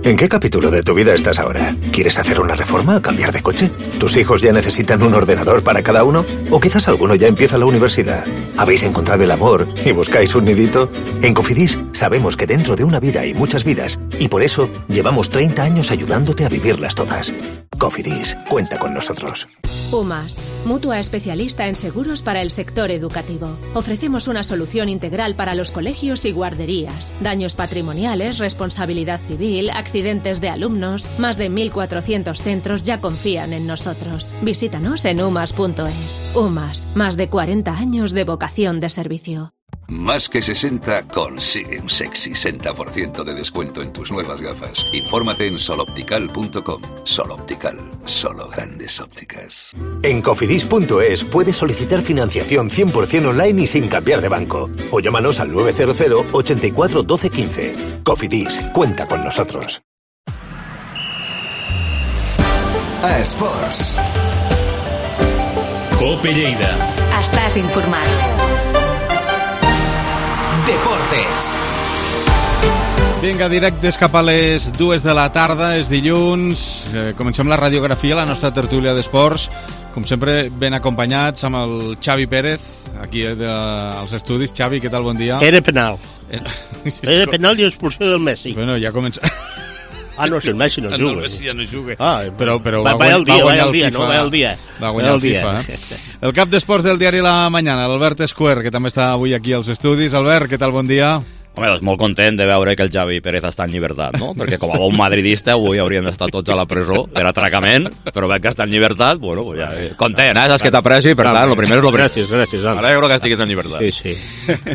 ¿En qué capítulo de tu vida estás ahora? ¿Quieres hacer una reforma o cambiar de coche? ¿Tus hijos ya necesitan un ordenador para cada uno? ¿O quizás alguno ya empieza la universidad? ¿Habéis encontrado el amor y buscáis un nidito? En Cofidis sabemos que dentro de una vida hay muchas vidas y por eso llevamos 30 años ayudándote a vivirlas todas. Cofidis, cuenta con nosotros. UMAS, mutua especialista en seguros para el sector educativo. Ofrecemos una solución integral para los colegios y guarderías. Daños patrimoniales, responsabilidad civil, accidentes de alumnos. Más de 1.400 centros ya confían en nosotros. Visítanos en umas.es. UMAS, más de 40 años de vocación de servicio. Más que 60 consigue un sexy 60% de descuento en tus nuevas gafas. Infórmate en soloptical.com. Soloptical, solo grandes ópticas. En cofidis.es puedes solicitar financiación 100% online y sin cambiar de banco. O llámanos al 900 84 12 15. Cofidis, cuenta con nosotros. A Esports. Cope Lleida. Estàs informat. Deportes. Vinga, directes cap a les 2 de la tarda, és dilluns. Comencem la radiografia, la nostra tertúlia d'esports. Com sempre, ben acompanyats amb el Xavi Pérez, aquí als estudis. Xavi, què tal? Bon dia. Era penal. Era penal i expulsió del Messi. Bueno, ja comença... Ah, no, si el Messi no juga. No, el Messi ja no juga. Però va guanyar el FIFA. No, va el dia. Va guanyar el FIFA, El cap d'esports del diari La Mañana, l'Albert Esquer, que també està avui aquí als estudis. Albert, què tal? Bon dia. Home, doncs molt content de veure que el Xavi Pérez està en llibertat, no? Perquè com a bon madridista avui haurien d'estar tots a la presó per atracament, però veig que està en llibertat, bueno, ja, content, saps que t'apreci, per tant, el primer és el primer. Gràcies. Alegro que estiguis en llibertat. Sí.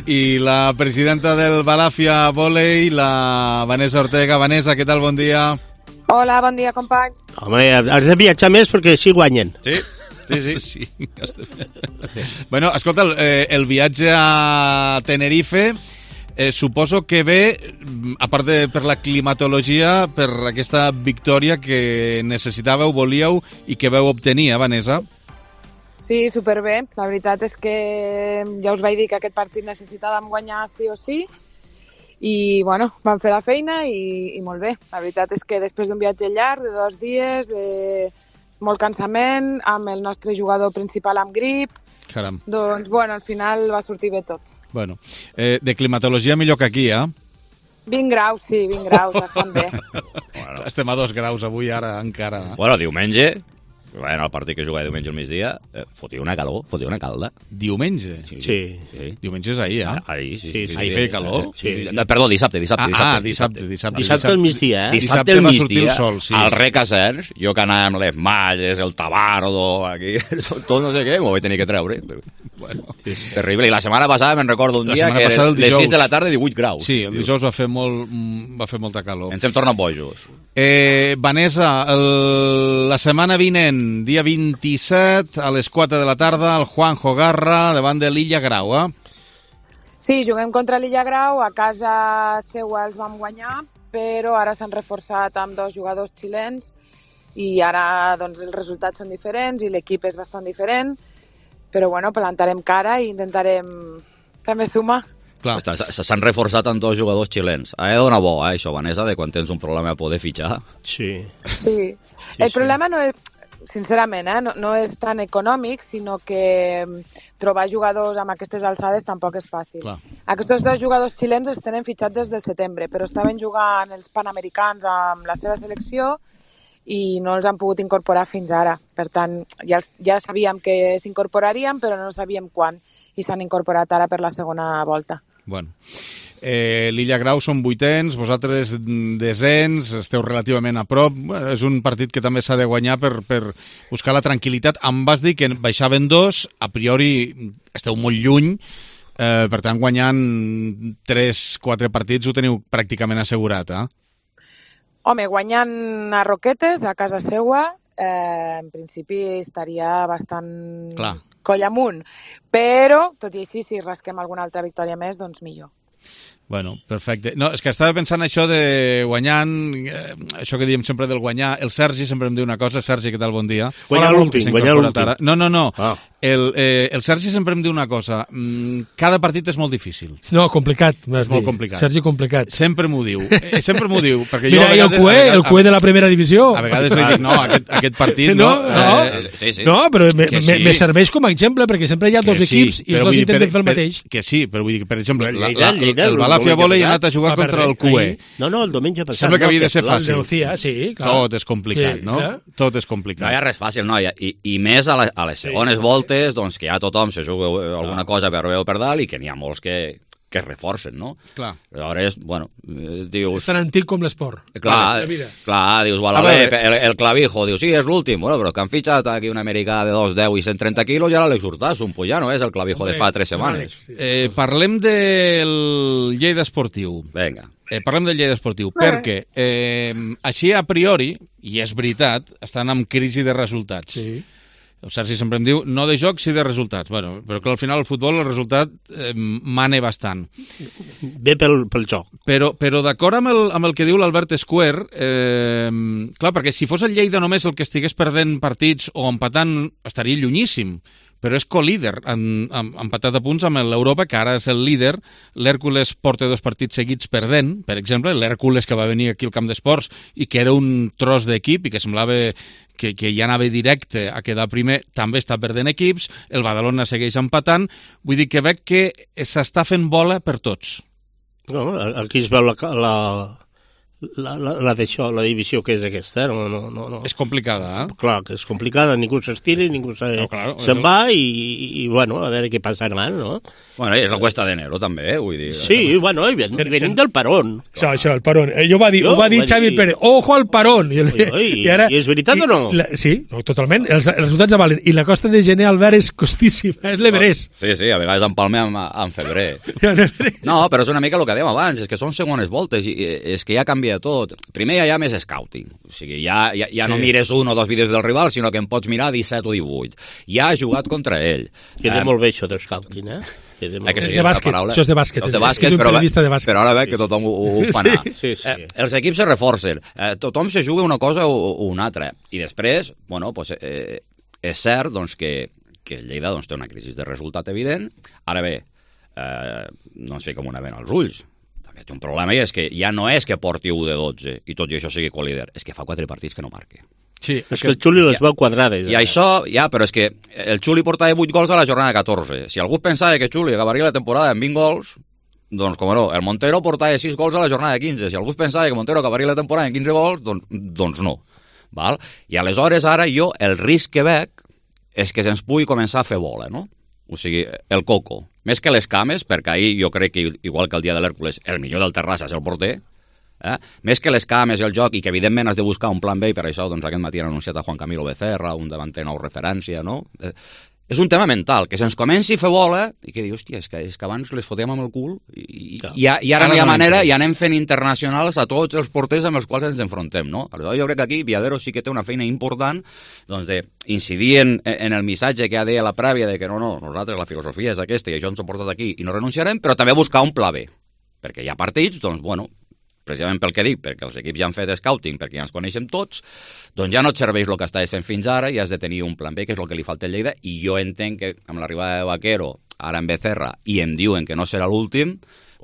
I la presidenta del Balàfia Volei, la Vanessa Ortega. Vanessa, què tal? Bon dia. Hola, bon dia, company. Home, has de viatjar més perquè així guanyen. Sí. Bueno, escolta, el viatge a Tenerife... suposo que ve, a part de per la climatologia, per aquesta victòria que necessitàveu, volíeu i que vau obtenir, Vanessa? Sí, superbé. La veritat és que ja us vaig dir que aquest partit necessitàvem guanyar sí o sí i, bueno, vam fer la feina i molt bé. La veritat és que després d'un viatge llarg, de 2 dies, de molt cansament, amb el nostre jugador principal amb grip, caram, doncs, bueno, al final va sortir bé tot. Bueno, de climatologia millor que aquí, 20 graus, sí, 20 graus, estan bé. Bueno. Estem a 2 graus avui, ara, encara. Bueno, diumenge, el partit que jugava diumenge al migdia, fotia una calor, fotia una calda. Diumenge? Sí. Diumenge és ahir, Ahir, sí. Ahir feia calor? Sí. Perdó, dissabte. Dissabte al migdia, Dissabte va sortir el sol, sí. Al Rec Asens, jo que anava amb les malles, el tabardo, aquí, tot no sé què, m'ho vaig tenir que treure. Bueno, terrible. I la setmana passada me'n recordo un dia que era les 6 de la tarda 18 graus. Sí, el dijous va fer molta calor. Ens hem tornat bojos. Vanessa, la setmana vinent, dia 27, a les 4 de la tarda, el Juanjo Garra, davant de l'Illa Grau, Sí, juguem contra l'Illa Grau, a casa seua els vam guanyar, però ara s'han reforçat amb 2 jugadors xilens i ara doncs, els resultats són diferents i l'equip és bastant diferent, però bueno, plantarem cara i intentarem també sumar. S'han reforçat amb 2 jugadors xilens. Ha de donar bo, això, Vanessa, de quan tens un problema a poder fitxar. Sí. El problema no és, sincerament, no és tan econòmic, sinó que trobar jugadors amb aquestes alçades tampoc és fàcil. Clar. Aquests 2 jugadors xilens els tenen fitxats des del setembre, però estaven jugant els Panamericans amb la seva selecció i no els han pogut incorporar fins ara. Per tant, ja sabíem que s'incorporarien, però no sabíem quan, i s'han incorporat ara per la segona volta. Bueno. L'Illa Grau són 8ens, vosaltres 10ens, esteu relativament a prop. Bueno, és un partit que també s'ha de guanyar per buscar la tranquil·litat. Em vas dir que baixaven 2, a priori esteu molt lluny, per tant, guanyant 3-4 partits ho teniu pràcticament assegurat, Home, guanyant a Roquetes, a casa seua, en principi estaria bastant coll amunt. Però, tot i així, si rasquem alguna altra victòria més, doncs millor. Bueno, perfecte. No, és que estava pensant això de guanyant, això que diem sempre del guanyar. El Sergi sempre em diu una cosa. Sergi, què tal? Bon dia. Guanyar l'últim. No. El Sergi sempre em diu una cosa. Cada partit és molt difícil. No, complicat. És molt complicat. Sergi, complicat. Sempre m'ho diu. Perquè mira, jo el cué de la primera divisió. A vegades li dic, no, aquest partit no. No, però me serveix com a exemple, perquè sempre hi ha 2 equips i els 2 intenten fer el mateix. Que sí, però vull dir que, per exemple, el Balafia Volley ha anat a jugar contra el QE. No, el diumenge passat. Sembla que havia de ser fàcil. Sí, clar. Tot és complicat, no? Tot és complicat. No hi ha res fàcil, no? I més a les segones voltes, doncs que ja tothom se juga alguna cosa per bé o per dalt i que n'hi ha molts que reforcen, no? Clar. Aleshores, bueno, dius... És tan antic com l'esport. Clar, dius, el clavijo, dius, sí, és l'últim, bueno, però que han fitxat aquí un americà de 210 i 130 quilos i ara l'Àlex Hurtado, pues ja no és el clavijo de fa 3 setmanes. Parlem del Lleida Esportiu. Vinga. Parlem del Lleida Esportiu, perquè així a priori, i és veritat, estan en crisi de resultats. Sí. El Sergi sempre em diu, no de joc, sí de resultats. Bueno, però que al final el futbol el resultat mane bastant. Ve pel joc. Però d'acord amb el que diu l'Albert Escuer, clar, perquè si fos el Lleida només el que estigués perdent partits o empatant, estaria llunyíssim. Però és co-líder, empatat a punts amb l'Europa, que ara és el líder. L'Hèrcules porta 2 partits seguits perdent, per exemple, l'Hèrcules que va venir aquí al camp d'esports i que era un tros d'equip i que semblava que ja anava directe a quedar primer, també està perdent equips, el Badalona segueix empatant, vull dir que veig que s'està fent bola per tots. No, aquí es veu la divisió que és aquesta, no. És complicada, Clar, que és complicada, ningú s'estira, ningú se'n va i, bueno, a veure què passarà, no? Bueno, és la cuesta d'enero, també, vull dir. Sí, bueno, venim del parón. Això, el parón. Ho va dir Xavi Pérez, ojo al parón. I és veritat o no? Sí, totalment, els resultats avalen. I la costa de gener, Albert, és costíssima, és l'Everest. Sí, a vegades empalmem en febrer. No, però és una mica el que dèiem abans, és que són segones voltes i és que ja canvia tot. Primer ja hi ha més scouting, o sigui, ja no mires 1 o 2 vídeos del rival, sinó que en pots mirar 17 o 18. Ja ha jugat contra ell. Queda molt bé això del scouting, És de bàsquet, això és de bàsquet. És de bàsquet, però ara veig que tothom ho fa anar. Els equips se reforcen, tothom se juga una cosa o una altra. I després, bueno, pues, és cert doncs, que el Lleida doncs, té una crisi de resultat evident. Ara bé, no sé com una vena als ulls. També té un problema i és que ja no és que porti 1 de 12 i tot i això sigui co-líder, és que fa 4 partits que no marca. Sí, és que el Xuli les veu quadrades. I això, però és que el Xuli portava 8 gols a la jornada 14. Si algú pensava que Xuli acabaria la temporada amb 20 gols, doncs, com no, el Montero portava 6 gols a la jornada 15. Si algú pensava que Montero acabaria la temporada amb 15 gols, doncs no. Val? I aleshores ara jo el risc que veig és que se'ns pugui començar a fer bola, no? O sigui, el coco. Més que les cames, perquè ahir jo crec que, igual que el dia de l'Hèrcules, el millor del Terrassa és el porter, més que les cames i el joc, i que evidentment has de buscar un plan B, i per això doncs, aquest matí han anunciat a Juan Camilo Becerra, un davanter nou referència, no? És un tema mental, que se'ns comenci a fer bola i que dius, hòstia, és que abans les fotem amb el cul i ara no hi ha manera i anem fent internacionals a tots els porters amb els quals ens enfrontem, no? Aleshores jo crec que aquí Viadero sí que té una feina important doncs d'incidir en el missatge que ha dit a la prèvia de que no, nosaltres la filosofia és aquesta i això ens ha portat aquí i no renunciarem, però també buscar un pla B, perquè hi ha partits, doncs, bueno, precisament pel que dic, perquè els equips ja han fet scouting, perquè ja ens coneixem tots, doncs ja no et serveix el que estaves fent fins ara i has de tenir un plan B, que és el que li falta al Lleida, i jo entenc que amb l'arribada de Vaquero, ara en Becerra, i em diuen que no serà l'últim,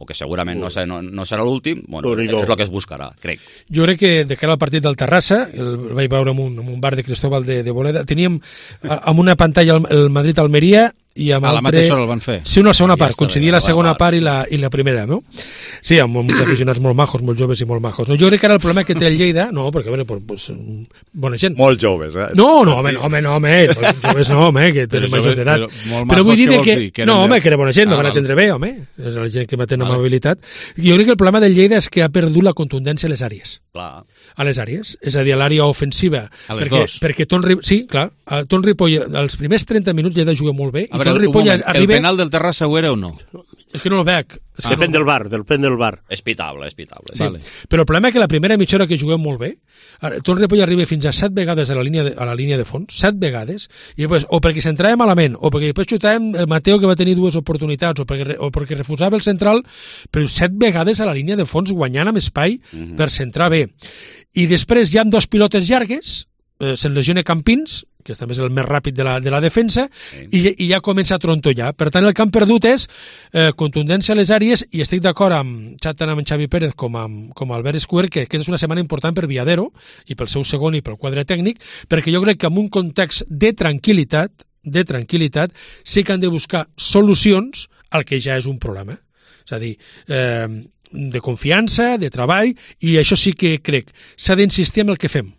o que segurament no serà l'últim, bueno, és el que es buscarà, crec. Jo crec que de cara al partit del Terrassa, el vaig veure en un bar de Cristóbal de Boleda, teníem amb una pantalla el Madrid-Almeria i amb a la mateixa hora el van fer. Sí, una segona part, coincidia la segona part i la primera, no? Sí, amb uns aficionats molt majos, molt joves i molt majos. No, jo crec que ara el problema que té el Lleida, no, perquè, bueno, pues, bona gent. Molt joves, eh? No, home, joves no, home, que tenen majors d'edat. Però vull dir que no, home, que era bona gent, no van atendre bé, home, és la gent que va tenir amabilitat. Jo crec que el problema del Lleida és que ha perdut la contundència a les àrees. Clar. A les àrees, és a dir, a l'àrea ofensiva. A les dos. Perquè sí, clar, Ton Ripoll, els primers 30 minuts Lleida juga molt bé. A veure, el penal del Terrassa ho era o no? És que no el veig. Depèn del bar. És pitable. Sí. Vale. Però el problema és que la primera mitja hora que juguem molt bé, Ton Ripoll arriba fins a 7 vegades a la línia de fons, 7 vegades, i després, o perquè s'entrava malament, o perquè després xutàvem el Mateo, que va tenir dues oportunitats, o perquè refusava el central, però 7 vegades a la línia de fons guanyant amb espai per centrar bé. I després ja amb 2 pilotes llargues, se'n lesiona Campins, que també és el més ràpid de la defensa, i ja comença a trontollar. Per tant, el que han perdut és contundència a les àrees, i estic d'acord tant amb Xavi Pérez com amb Albert Escuer, que aquesta és una setmana important per Viadero, i pel seu segon i pel quadre tècnic, perquè jo crec que en un context de tranquil·litat, sí que han de buscar solucions al que ja és un problema. És a dir, de confiança, de treball, i això sí que crec, s'ha d'insistir en el que fem.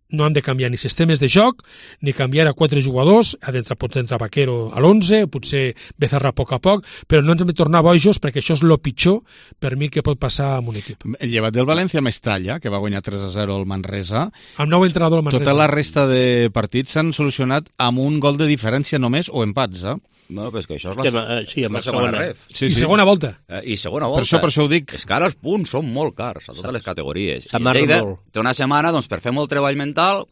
No han de canviar ni sistemes de joc, ni canviar a 4 jugadors, pot entrar Vaquero a l'11, potser Becerra a poc, però no ens hem de tornar bojos, perquè això és el pitjor per mi que pot passar amb un equip. Llevat del València Mestalla, que va guanyar 3-0 al Manresa, amb nou entrenador al Manresa. Tota la resta de partits s'han solucionat amb un gol de diferència només, o empats, No, però és que això és la segona ref. I segona volta. I segona volta. Per això ho dic. És que ara els punts són molt cars a totes les categories. I Lleida té una setmana per fer molt treball mental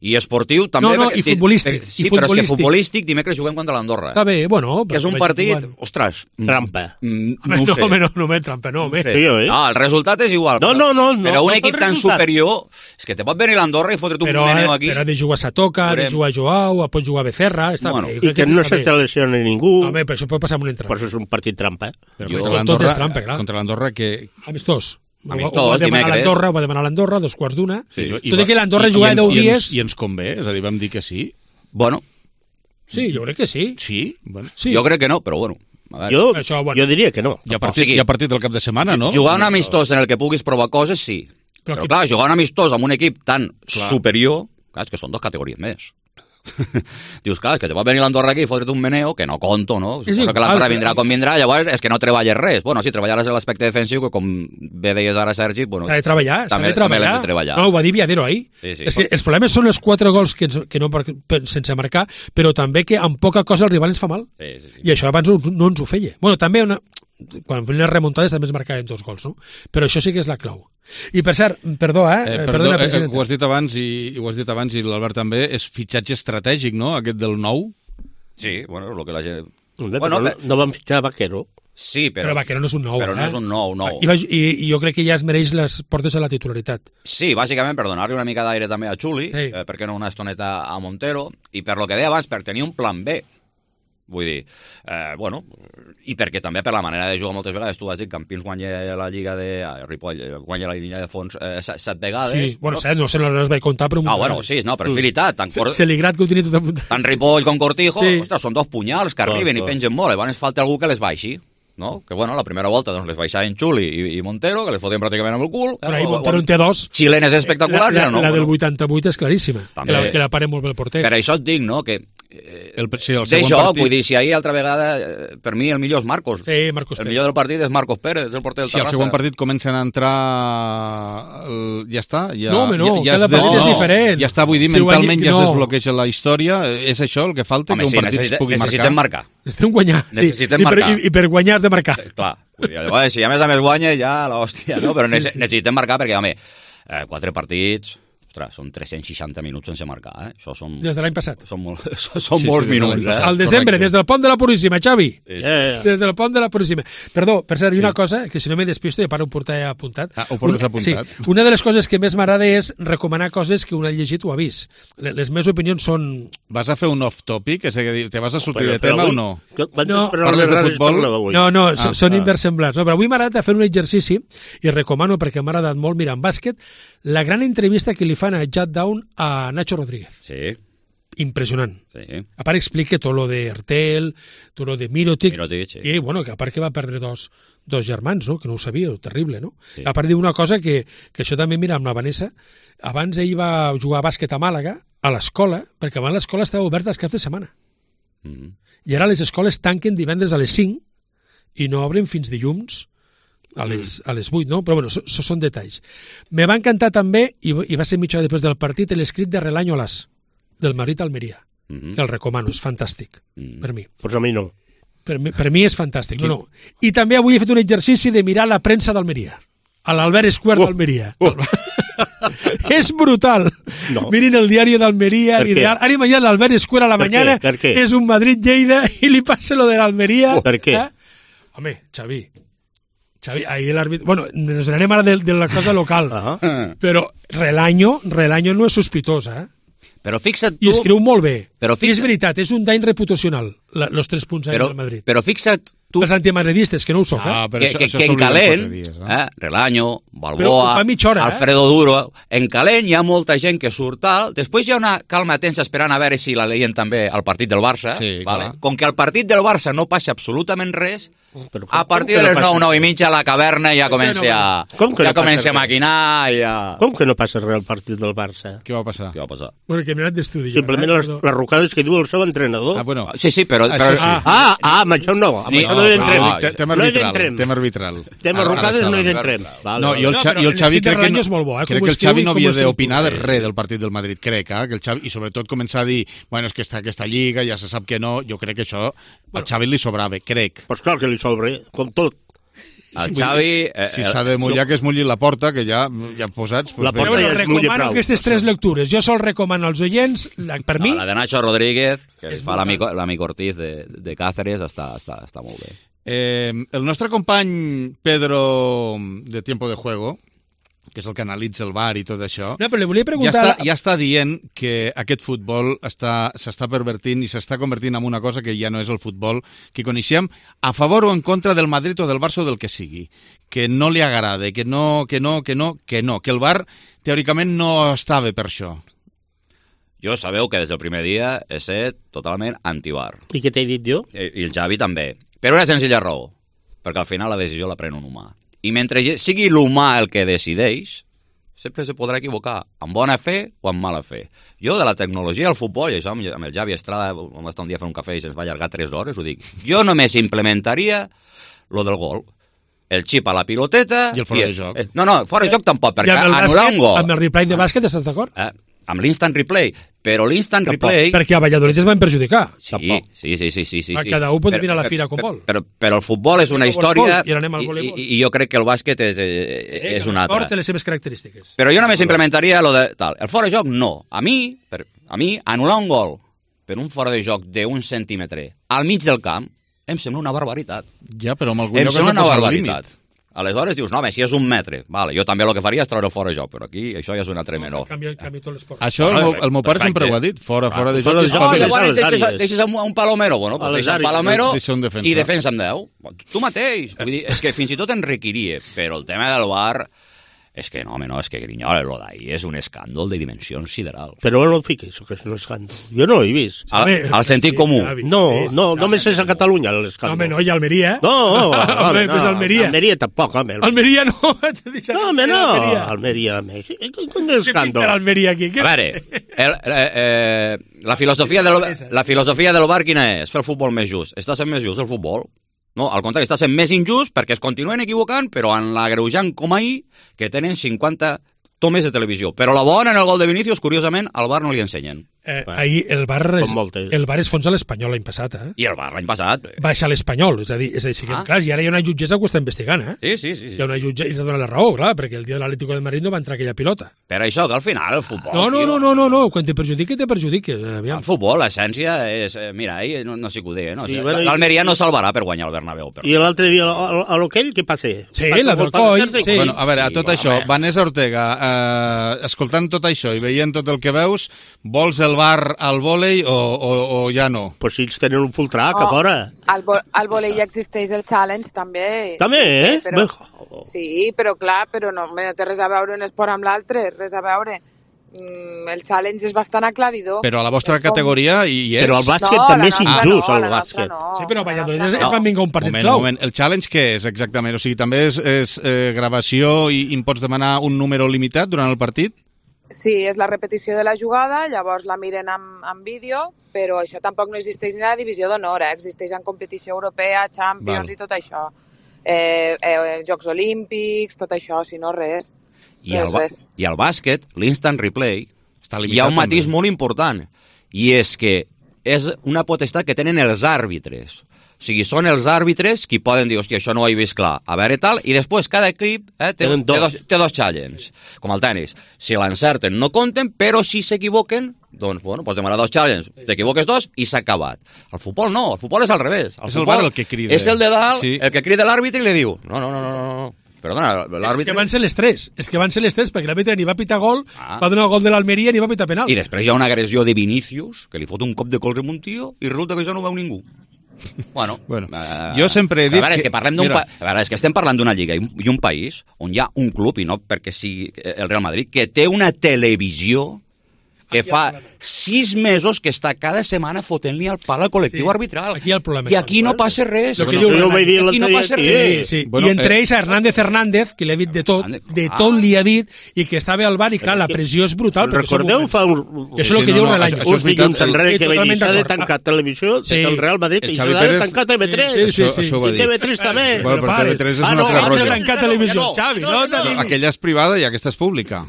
i esportiu també. I futbolístic. Sí, però és que futbolístic dimecres juguem contra l'Andorra. Està bé, bueno. Que és un partit, ostres... Trampa. No ho sé. No me trampa, no. No, el resultat és igual. No. Però un equip tan superior, és que te pot venir l'Andorra i fotre't un meneo aquí. Però ha de jugar Satoca, ha de jugar Joao, pot jugar Becerra, està bé. I que no se te lesioni ningú. Home, però això pot passar amb un entrenador. Per això és un partit trampa. Tot és trampa, clar. Contra l'Andorra que... Amistós, dimecres. Va demanar l'Andorra, 2:15. Sí, tot i que l'Andorra jugava 10 dies... I ens convé, és a dir, vam dir que sí. Bueno. Sí, jo crec que sí. Sí? Bueno. Jo crec que no, però bueno. Jo diria que no. Hi ha partit el cap de setmana, no? Jugar un amistós en el que puguis provar coses, sí. Però clar, jugar un amistós amb un equip tan superior, clar, és que són 2 categories més. Dius, clar, que te va venir l'Andorra aquí i fotre't un meneo, que no conto, no? Suposo que l'Andorra vindrà com vindrà, llavors és que no treballes res. Bueno, sí, treballaràs en l'aspecte defensiu, que com bé deies ara, Sergi... Bueno, s'ha de treballar. També l'hem de treballar. No, ho va dir Viadero ahir. Sí. Els problemes són els 4 gols que no sense marcar, però també que amb poca cosa el rival ens fa mal. Sí. I això abans no ens ho feia. Bueno, també quan feien les remuntades també es marcaven 2 gols, no? Però això sí que és la clau. I per cert, perdona, president. Ho has dit abans i l'Albert també, és fitxatge estratègic, no?, aquest del nou. Sí, bueno, és el que la gent... No van fitxar Vaquero. Sí, però Vaquero no és un nou. Però no és un nou. I jo crec que ja es mereix les portes a la titularitat. Sí, bàsicament per donar-li una mica d'aire també a Xuli, perquè no una estoneta a Montero, i per lo que deia abans, per tenir un plan B. Vull dir, i perquè també per la manera de jugar moltes vegades, tu has dit, Campins guanya la Lliga de... Ripoll guanya la línia de fons 7 vegades. Sí, bueno, 7, no sé, no les vaig comptar, però... però és veritat. Celigrat que ho tenia tot apuntat. Tant Ripoll com Cortijo, ostres, són 2 punyals que arriben i pengen molt, llavors falta algú que les baixi. No? Que bueno, la primera volta doncs, les baixaven Xuli i Montero, que les fotien pràcticament amb el cul. Però ahí Montero en té 2. Xilenes espectaculars. La del 88 és claríssima, que la paren molt bé el porter. Per això et dic, no?, que el de joc, vull dir, si ahir altra vegada, per mi el millor és Marcos. Sí, Marcos Pérez. El millor del partit és Marcos Pérez, és el porter del Terrassa. Si al segon partit comencen a entrar... Ja està? Cada partit és diferent. Ja està, vull dir, mentalment ja es desbloqueja la història. És això el que falta, que un partit es pugui marcar? Necessitem marcar. Necessitem guanyar. Necessitem marcar. I per guanyar has de marcar. Clar. Si a més guanya, ja l'hòstia, no? Però necessitem marcar perquè, home, 4 partits... Ostres, són 360 minuts sense marcar, Això són... Des de l'any passat. Són molts minuts, Al desembre, des del pont de la Puríssima, Xavi. Des del pont de la Puríssima. Perdó, per cert, una cosa, que si no me despisto, ja paro ho portar apuntat. Ho portes apuntat. Sí, una de les coses que més m'agrada és recomanar coses que un ha llegit o ha vist. Les meves opinions són... Vas a fer un off-topic? És a dir, te vas a sortir de tema o no? No, parles de futbol? No, són inversemblants. No, però avui m'ha agradat fer un exercici i recomano, perquè m'ha agradat molt, mira, en bàsquet, la gran entrevista que li fan a Jat Down a Nacho Rodríguez. Sí. Impressionant. Sí. A part explica tot lo de Ertel, tot lo de Mirotic, sí. I bueno, que a part que va perdre dos germans, no? Que no ho sabia, terrible, no? Sí. A part diu una cosa que això també, mira, amb la Vanessa, abans ell va jugar a bàsquet a Màlaga, a l'escola, perquè abans l'escola estava oberta els caps de setmana. I ara les escoles tanquen divendres a les 5 i no obren fins dilluns a les 8, no? Però bueno, són detalls. Me va encantar també, i va ser mitja hora després del partit, l'escrit de Relañolas, del Madrid-Almeria, que el recomano, és fantàstic, per mi. Pues a mi no. Per mi és fantàstic. No. I també avui he fet un exercici de mirar la premsa d'Almeria, a l'Albert Square d'Almeria. És brutal. No. Mirin el diari d'Almeria, ara mañana l'Albert Square a la mañana és un Madrid-Lleida i li passa lo de l'Almeria. Per què? Home, Xavi, ahir l'àrbitre... Bueno, ens anem ara de la cosa local, però Relaño no és sospitosa, Però fixa't tu... I escriu molt bé. I és veritat, és un dany reputacional, els 3 punts del Madrid. Però fixa't tu... Els antimadridistes, que no ho soc, que en calent, Relaño, Balboa, Alfredo Duro, en calent hi ha molta gent que surt tal, després hi ha una calma tensa esperant a veure si la leien també al partit del Barça, com que al partit del Barça no passa absolutament res, a partir de les 9 i mitja la caverna ja comença a maquinar. Com que no passa res al partit del Barça? Què va passar? Bueno, que m'he anat d'estudi. Simplement les rucades que diu el seu entrenador. Sí, però... Amb això no. Amb això no hi entrem. Tema arbitral. Tema rucades no hi entrem. No, i el Xavi crec que el Xavi no havia d'opinar de res del partit del Madrid, crec, que el Xavi, i sobretot començar a dir, bueno, és que està aquesta lliga, ja se sap que no, jo crec que això al Xavi li sobrava, crec. Pues clar que li sobre, com tot. El Xavi... Si s'ha de mullar, que es mulli la porta, que ja posats... La porta ja es mulli prou. Recomano aquestes 3 lectures. Jo sol recomano als oients, per mi... La de Nacho Rodríguez, que fa l'amic Ortiz de Cáceres, està molt bé. El nostre company Pedro de Tiempo de Juego, que és el que analitza el VAR i tot això, no, però li volia preguntar... ja està dient que aquest futbol s'està pervertint i s'està convertint en una cosa que ja no és el futbol que coneixem, a favor o en contra del Madrid o del Barça o del que sigui, que no li agrada, que el VAR teòricament no estava per això. Jo sabeu que des del primer dia he set totalment anti-VAR. I què t'he dit jo? I el Xavi també. Per una senzilla raó, perquè al final la decisió la pren un humà. I mentre sigui l'humà el que decideix, sempre se podrà equivocar, amb bona fe o amb mala fe. Jo de la tecnologia al futbol, i això amb el Xavi Estrada, vam estar un dia a fer un cafè i se'ns va allargar 3 hores, ho dic, jo només implementaria lo del gol. El xip a la piloteta... I el fora de joc. No, fora de joc tampoc, perquè anul·lar un gol... Amb el replay de bàsquet estàs d'acord? Amb l'instant replay, però l'instant replay... Perquè a Valladolid es van perjudicar. Sí. Cada un pot venir a la fira com vol. Però el futbol és una història i jo crec que el bàsquet és una altra. L'esport té les seves característiques. Però jo només implementaria lo de tal. El fora de joc, no. A mi, anul·lar un gol per un fora de joc d'un centímetre al mig del camp em sembla una barbaritat. Ja, però en algun lloc em sembla una barbaritat. Aleshores dius, no, home, si és 1 metre, vale, jo també el que faria és treure el fora de joc, però aquí això ja és una altre menor. Això el meu pare sempre ho ha dit, fora de joc. Llavors deixes un palomero, bueno, deixa el palomero i defensa amb 10. Tu mateix. Vull dir, és que fins i tot en requeria, però el tema del VAR... És que no, home, no, és que Grinyola, lo d'ahir és un escàndol de dimensions sideral. Però no fiquis, que és un escàndol. Jo no ho he vist. Al sentit comú. No, només és a Catalunya l'escàndol. Home, no, i Almeria. No, Almeria. Almeria tampoc, home. Almeria no. No, home, no. Almeria, com d'escàndol. Què Almeria aquí? A veure, la filosofia del VAR quina és? Fer el futbol més just. Està sent més just el futbol? No, al contrari, està sent més injust perquè es continuen equivocant, però en l'agreujant com ahir, que tenen 50 tomes de televisió. Però la bona en el gol de Vinícius, curiosament, al VAR no li ensenyen. Ahir el bar es fons a l'Espanyol l'any passat, I el bar l'any passat. Baixa a l'Espanyol, és a dir, clar, i ara hi ha una jutgessa que ho està investigant, Sí. Hi ha una jutgessa, i s'ha donat la raó, clar, perquè el dia de l'Atlético de Madrid no va entrar aquella pilota. Per això que al final el futbol... No, quan te perjudiqui, te perjudiqui. El futbol, l'essència és... Mira, ahir no sé què ho deia, no? L'Almeria no salvarà per guanyar el Bernabéu. I l'altre dia, a l'Oquell, què passa? Sí, la del coll. Bueno, a veure, a tot això, Vanessa Ortega, escoltant tot això i veient tot el que veus, vols el bar al vòlei o ja no? Pues si ells tenen un full track, a fora. Al vòlei ja existeix el challenge, també. També, Sí, però clar, no té res a veure un esport amb l'altre, res a veure. El challenge és bastant aclaridor. Però a la vostra categoria hi és. Però el bàsquet també és injust, el bàsquet. Sí, però a Valladolid es van vingar un partit clau. Moment. El challenge què és exactament? O sigui, també és gravació i em pots demanar un número limitat durant el partit? Sí, és la repetició de la jugada, llavors la miren amb vídeo, però això tampoc no existeix ni a la divisió d'honor, existeix en competició europea, Champions i tot això. Jocs Olímpics, tot això, si no res. I al bàsquet, l'instant replay, hi ha un matís molt important, i és que és una potestat que tenen els àrbitres. O sigui, són els àrbitres qui poden dir, hòstia, això no ho he vist clar, a veure tal, i després cada equip té dos challenges, com el tenis. Si l'encerten no compten, però si s'equivoquen, doncs, bueno, pots demanar 2 challenges, t'equivoques 2 i s'ha acabat. El futbol no, el futbol és al revés. És el bar el que crida. És el de dalt, el que crida l'àrbitre i li diu, no. Perdona, l'àrbitre... És que van ser les tres, perquè l'àrbitre ni va pitar gol, va donar el gol de l'Almeria ni va pitar penal. I després hi ha una agressió de Vinícius, que li fot un cop de colze a un tio, i resulta que això no ho veu ningú. Bueno, jo sempre he dit és que estem parlant d'una lliga i un país on hi ha un club, i no perquè sigui el Real Madrid, que té una televisió que fa 6 mesos que està cada setmana fotent-li al pal al col·lectiu arbitral. Aquí hi ha el problema. I aquí no passa res. Aquí no passa res. I entre ells a Hernández, que l'he dit de tot li ha dit, i que estava al bar, i clar, la pressió és brutal. Recordeu fa uns dilluns enrere que va dir s'ha de tancar televisió del Real Madrid i s'ha de tancar TV3. I TV3 també. Però TV3 és una altra roja. Tancar televisió, Xavi, no? Aquella és privada i aquesta és pública.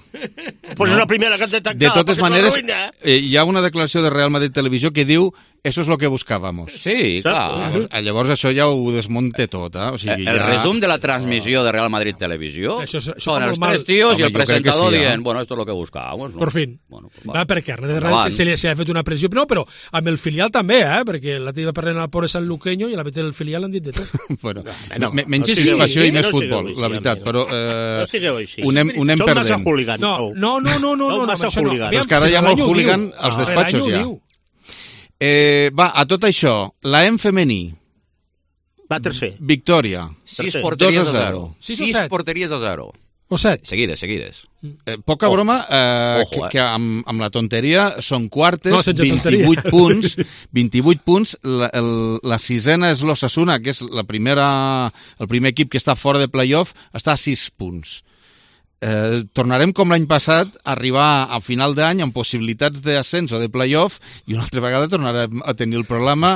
Pues és la primera que han de tancar. De totes maneres, hi ha una declaració de Real Madrid Televisió que diu eso es lo que buscábamos. Sí, clar. Llavors això ja ho desmonte tot. O sigui, el resum de la transmissió de Real Madrid Televisió són els 3 tios i el presentador dient, bueno, esto es lo que buscábamos. Por fin. Perquè Hernández se li ha fet una pressió, però amb el filial també, perquè la teva parlant al pobre sanluqueño i a la vegada del filial han dit de tot. Menys crispació i més futbol, la veritat, però ho anem perdent. No, massa hooligan. Però és que ara hi ha molt hooligan als despatxos ja. Va, a tot això, la M femení. Va tercer. Victòria. 6 porteries a 0. 6 porteries a 0. O 7. Seguides. Poca broma, que amb la tonteria són quartes, 28 punts. 28 punts. La sisena és l'Osasuna, que és el primer equip que està fora de playoff, està a 6 punts. Tornarem com l'any passat a arribar a final d'any amb possibilitats d'ascens o de playoff i una altra vegada tornarem a tenir el problema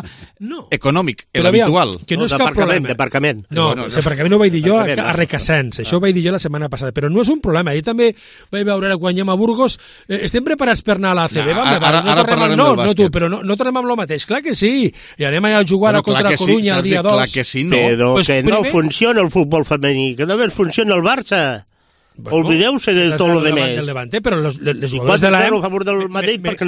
econòmic, l'habitual. Que no és cap problema. D'aparcament. No, l'aparcament ho vaig dir jo a Requesens, això ho vaig dir jo la setmana passada, però no és un problema. Ahir també vaig veure quan anem a Burgos, estem preparats per anar a l'ACB, ara parlarem del bàsquet. Però no tornem amb el mateix, clar que sí, i anem a jugar contra Coruña el dia 2. Clar que sí, no. Però que no funciona el futbol femení, que només funciona el Barça. Olvideu-se de tot lo de més. Però les jugadores de l'AM... a favor del Madrid perquè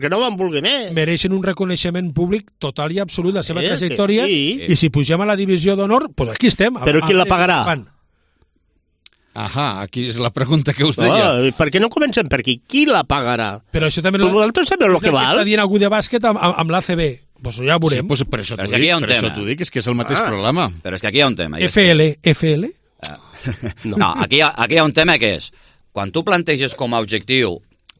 no van voler més. Mereixen un reconeixement públic total i absolut de la seva trajectòria, i si pugem a la divisió d'honor, doncs aquí estem. Però qui la pagarà? Aquí és la pregunta que us deia. Per què no comencem per aquí? Qui la pagarà? Però això també... Vosaltres sabeu el que val? Està dient algú de bàsquet amb l'ACB. Doncs ja ho veurem. Per això t'ho dic, és que és el mateix problema. Però és que aquí hi ha un tema. FL? No, aquí hi ha un tema que és, quan tu planteges com a objectiu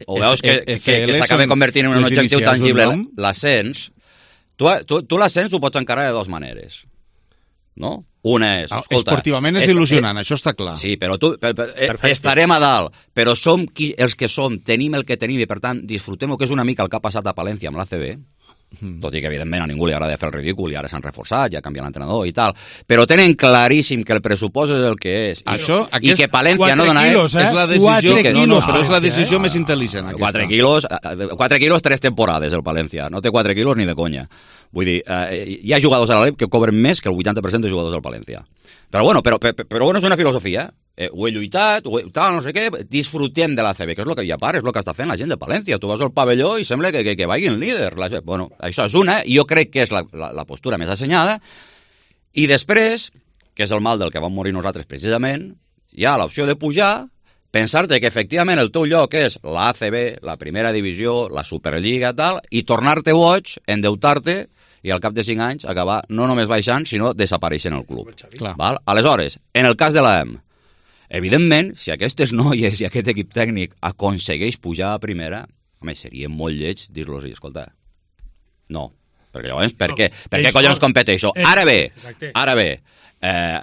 o veus que s'acaba convertint en un objectiu tangible l'ascens, tu l'ascens ho pots encarar de 2 maneres, no? Una és, escolta... Esportivament és il·lusionant, això està clar. Sí, però estarem a dalt, però som els que som, tenim el que tenim i per tant disfrutem el que és una mica el que ha passat a Palència amb l'ACB. tot i que evidentment a ningú li agrada fer el ridícul i ara s'han reforçat, ja canviat l'entrenador i tal, però tenen claríssim que el pressupost és el que és i que Palència no dona... Quilos, és la decisió que però és la decisió més intel·ligent. 4 quilos 3 temporades el Palència, no té 4 quilos ni de conya. Vull dir, hi ha jugadors a l'Alep que cobren més que el 80% de jugadors del Palència. Però bueno, és una filosofia. Ho he lluitat, tal, no sé què, disfrutem de l'ACB, que és el que hi ha part, és el que està fent la gent de Palència. Tu vas al pavelló i sembla que vagi el líder. Bueno, això és una, i jo crec que és la postura més assenyada. I després, que és el mal del que vam morir nosaltres precisament, hi ha l'opció de pujar, pensar-te que efectivament el teu lloc és l'ACB, la primera divisió, la Superliga, tal, i tornar-te boig, endeutar-te, i al cap de 5 anys acabar no només baixant, sinó desapareixent el club. Val? Aleshores, en el cas de l'AM, evidentment, si aquestes noies i aquest equip tècnic aconsegueix pujar a primera, home, seria molt lleig dir-los, escolta, no, perquè llavors, per què collons competeixo? Ara bé,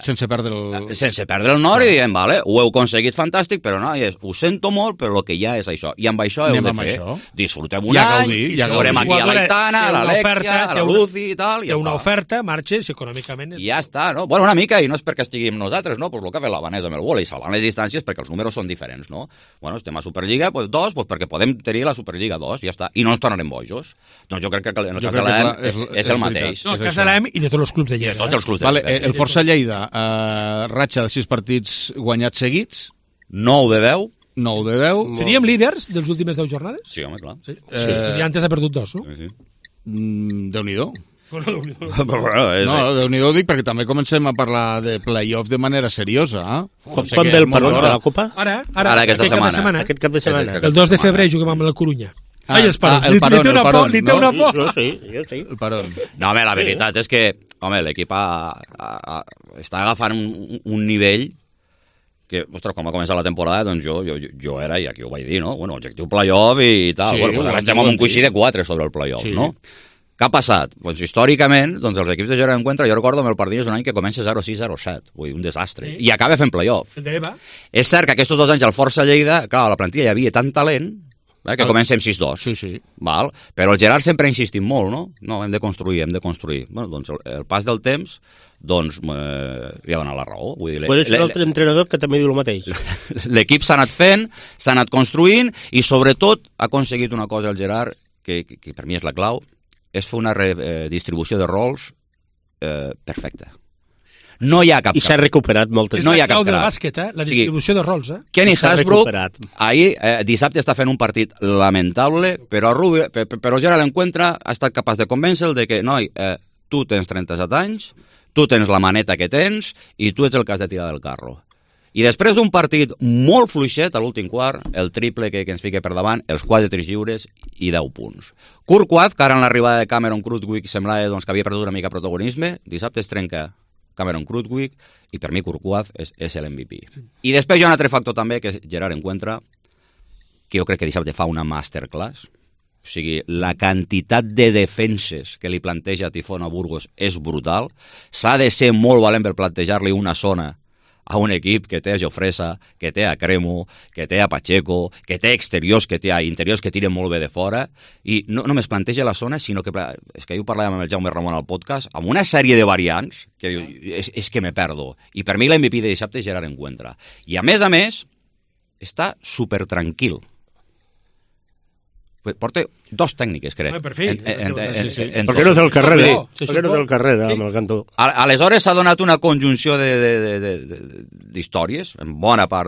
sense perdre el nord i diem, vale, ho heu aconseguit fantàstic, però noies, ho sento molt, però el que hi ha és això, i amb això heu de fer. Disfrutem un any, veurem aquí a l'Aitana, a l'Alexia, a la Lucy i tal, i ja està. Té una oferta, marxes, econòmicament... I ja està, no? Bueno, una mica, i no és perquè estiguem nosaltres, no? Pues el que ha fet l'Havanès amb el vòlei, salvant les distàncies perquè els números són diferents, no? Bueno, estem a Superliga 2, perquè podem tenir la Superliga 2, ja està, i no ens tornarem bojos. Doncs jo crec que en el cas de l'AM és el mateix. No, el cas de l'AM i de tots els clubs de Lleida. Tots els clubs de Lleida. El Força Lleida, ratxa de 6 partits guanyats seguits, 9 de 10. 9 de 10. Seríem líders dels últimes 10 jornades? Sí, home, clar. Sí. I antes ha perdut 2, no? Sí. Déu-n'hi-do. No, Déu-n'hi-do dic perquè també comencem a parlar de play-off de manera seriosa. Quan ve el parón de la Copa? Ara aquesta setmana. Aquest cap de setmana. El 2 de febrer juguem amb el Corunya. El parón. Li té una por. Jo sí. El parón. No, home, la veritat és que l'equip està agafant un nivell que, ostres, quan va començar la temporada, doncs jo era, i aquí ho vaig dir, no? Bueno, objectiu play-off i tal. Bueno, doncs ara estem amb un coixí de 4 sobre el play-off, no? Què ha passat? Doncs històricament, els equips de Gerard Encuentra, jo recordo amb el Pardines un any que comença 0-6, 0-7, vull dir, un desastre, i acaba fent play-off. És cert que aquests 2 anys al Força Lleida, clar, a la plantilla hi havia tant talent, que comença amb 6-2. Sí. Val? Però el Gerard sempre ha insistit molt, no? No, hem de construir. Bueno, doncs el pas del temps, doncs, li ha donat la raó. Vull dir, és un altre entrenador que també diu el mateix. L'equip s'ha anat fent, s'ha anat construint, i sobretot ha aconseguit una cosa el Gerard, que per mi és la clau, és fer una distribució de rols perfecta. No hi ha cap... I s'ha recuperat moltes. No hi ha cap del bàsquet, la distribució de rols. Kenny Hasbrook, ahir, dissabte, està fent un partit lamentable, però Gerard l'Encuentra ha estat capaç de convèncer-lo de que, noi, tu tens 37 anys, tu tens la maneta que tens i tu ets el que has de tirar del carro. I després d'un partit molt fluixet a l'últim quart, el triple que ens fica per davant, els 4 tirs lliures i 10 punts. Courtois, que ara en l'arribada de Cameron Krutwig semblava que havia perdut una mica protagonisme, dissabte es trenca Cameron Krutwig, i per mi Courtois és l'MVP. I després hi ha un altre factor també, que és Gerard Encuentra, que jo crec que dissabte fa una masterclass. O sigui, la quantitat de defenses que li planteja Tifón a Burgos és brutal. S'ha de ser molt valent per plantejar-li una zona a un equip que té a Jofresa, que té a Cremo, que té a Pacheco, que té exteriors, que té a interiors que tiren molt bé de fora, i no només planteja la zona, sinó que, és que jo parlàvem amb el Jaume Ramon al podcast, amb una sèrie de variants, que diu, és que me perdo. I per mi l'MVP de dissabte és Gerard Encuentra. I a més, està supertranquil. Porta 2 tècniques, crec. Per fi. Per què no té el carrer? Per què no té el carrer amb el cantó? Aleshores s'ha donat una conjunció d'històries, en bona part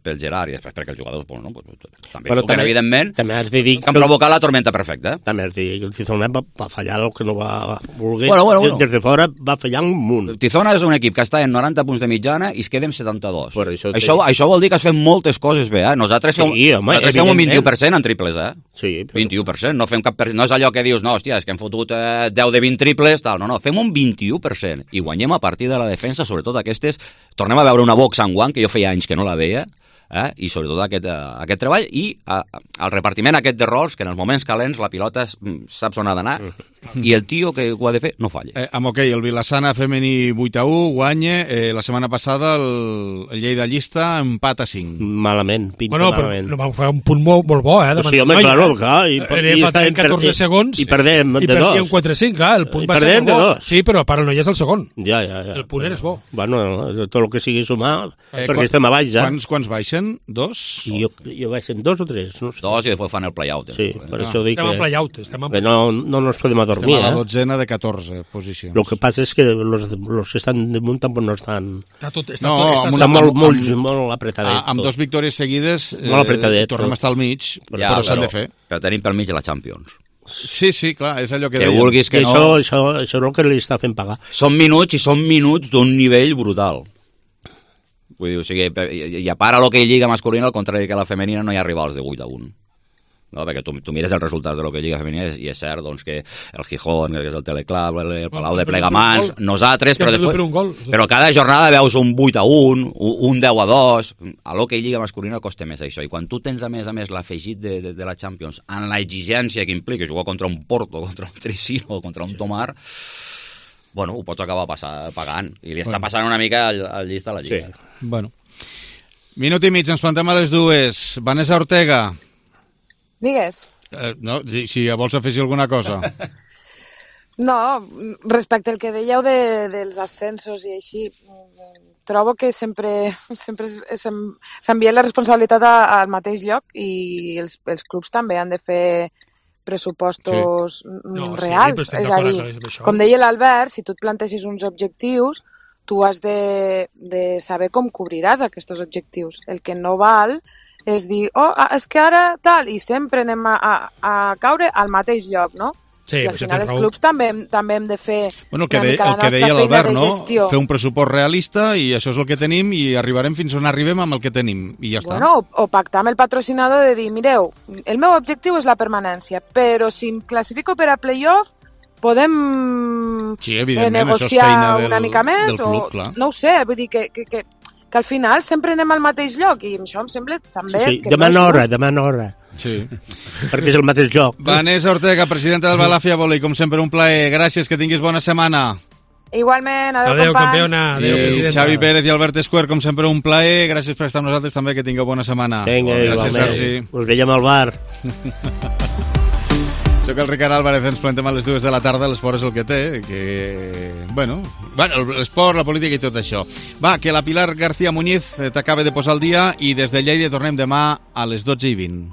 pel Gerard i després perquè els jugadors també, evidentment, que han provocat la tormenta perfecta. També has de dir que el Tizona va fallar el que no va voler. Des de fora va fallar un munt. Tizona és un equip que està en 90 punts de mitjana i es queda en 72. Això vol dir que has fet moltes coses bé. Nosaltres fem un 21% en triples. Sí. 21%, no és allò que dius, no, hòstia, és que hem fotut 10 de 20 triples, tal, no, fem un 21% i guanyem a partir de la defensa, sobretot aquestes, tornem a veure una box and one, que jo feia anys que no la veia, i sobretot aquest treball i el repartiment aquest de rols, que en els moments calents la pilota saps on ha d'anar i el tio que ho ha de fer no falla. Amb hoquei, el Vilassana femení 8-1 guanya, la setmana passada el Lleida Llista empat a 5. Malament, pinta malament. Però no van fer un punt molt bo, Sí, home, clar, i faltaven 14 segons i perdem de 2. I perdíem 4-5, clar, el punt va ser bo. Sí, però para no hi és el segon. Ja. El punt és bo. Bueno, tot el que sigui sumar, perquè estem a baix, ja. Quants baixen? 2? Jo baixen 2 o 3. No sé. 2 i després fan el play-out. Sí, per això dic estem en play-out. Que no nos podem adormir. Estem a la 12ena de 14 posicions. El que passa és que los que estan damunt tampoc no estan... Està molt apretadet. Amb 2 victòries seguides tornem a estar al mig, però s'han de fer. Però tenim pel mig la Champions. Sí, clar, és allò que dèiem. Vulguis que no... Això és el que li està fent pagar. Són minuts d'un nivell brutal. Vull dir, o sigui, i a part a l'hoquei lliga masculina, al contrari que la femenina, no hi ha rivals de 8-1. No, perquè tu mires els resultats de l'hoquei lliga femenina i és cert doncs, que el Gijón, que és el Teleclub, el Palau de Plegamans, nosaltres, però cada jornada veus un 8-1, un 10-2. A l'hoquei lliga masculina costa més això. I quan tu tens, a més l'afegit de la Champions, en l'exigència que implica jugar contra un Porto, contra un Trisino, contra un Tomar, bueno, ho pots acabar pagant. I li està passant una mica al Llista a la Lliga. Sí. Bueno. Minut i mig, ens plantem a les 2. Vanessa Ortega. Digues. No, si vols afegir alguna cosa. No, respecte al que dèieu dels ascensos i així, trobo que sempre s'envia la responsabilitat al mateix lloc i els clubs també han de fer pressupostos reals. És a dir, com deia l'Albert, si tu et planteixes uns objectius, tu has de saber com cobriràs aquests objectius. El que no val és dir, és que ara tal, i sempre anem a caure al mateix lloc, no? Sí, i al final els clubs també hem de fer el que deia l'Albert, no? Fer un pressupost realista i això és el que tenim i arribarem fins on arribem amb el que tenim i ja està. Bueno, o pactar amb el patrocinador de dir, mireu, el meu objectiu és la permanència, però si em classifico per a playoff podem negociar una mica més club, clar. No ho sé, vull dir que al final sempre anem al mateix lloc i això em sembla també... Sí, demana hora. Sí. Perquè és el mateix joc. Vanessa Ortega, presidenta del Balàfia Volley, com sempre un plaer. Gràcies, que tinguis bona setmana. Igualment, adéu campiona. Adéu, presidenta. Xavi Pérez i Albert Escuer, com sempre un plaer. Gràcies per estar amb nosaltres també, que tingueu bona setmana. Vinga, gràcies, Sergi. Us veiem al bar. Soc el Ricard Álvarez, ens plantem a les 2 de la tarda, l'esport és el que té, que... Bueno, l'esport, la política i tot això. Va, que la Pilar García Muñiz t'acaba de posar al dia i des de Lleida tornem demà a les 12:20.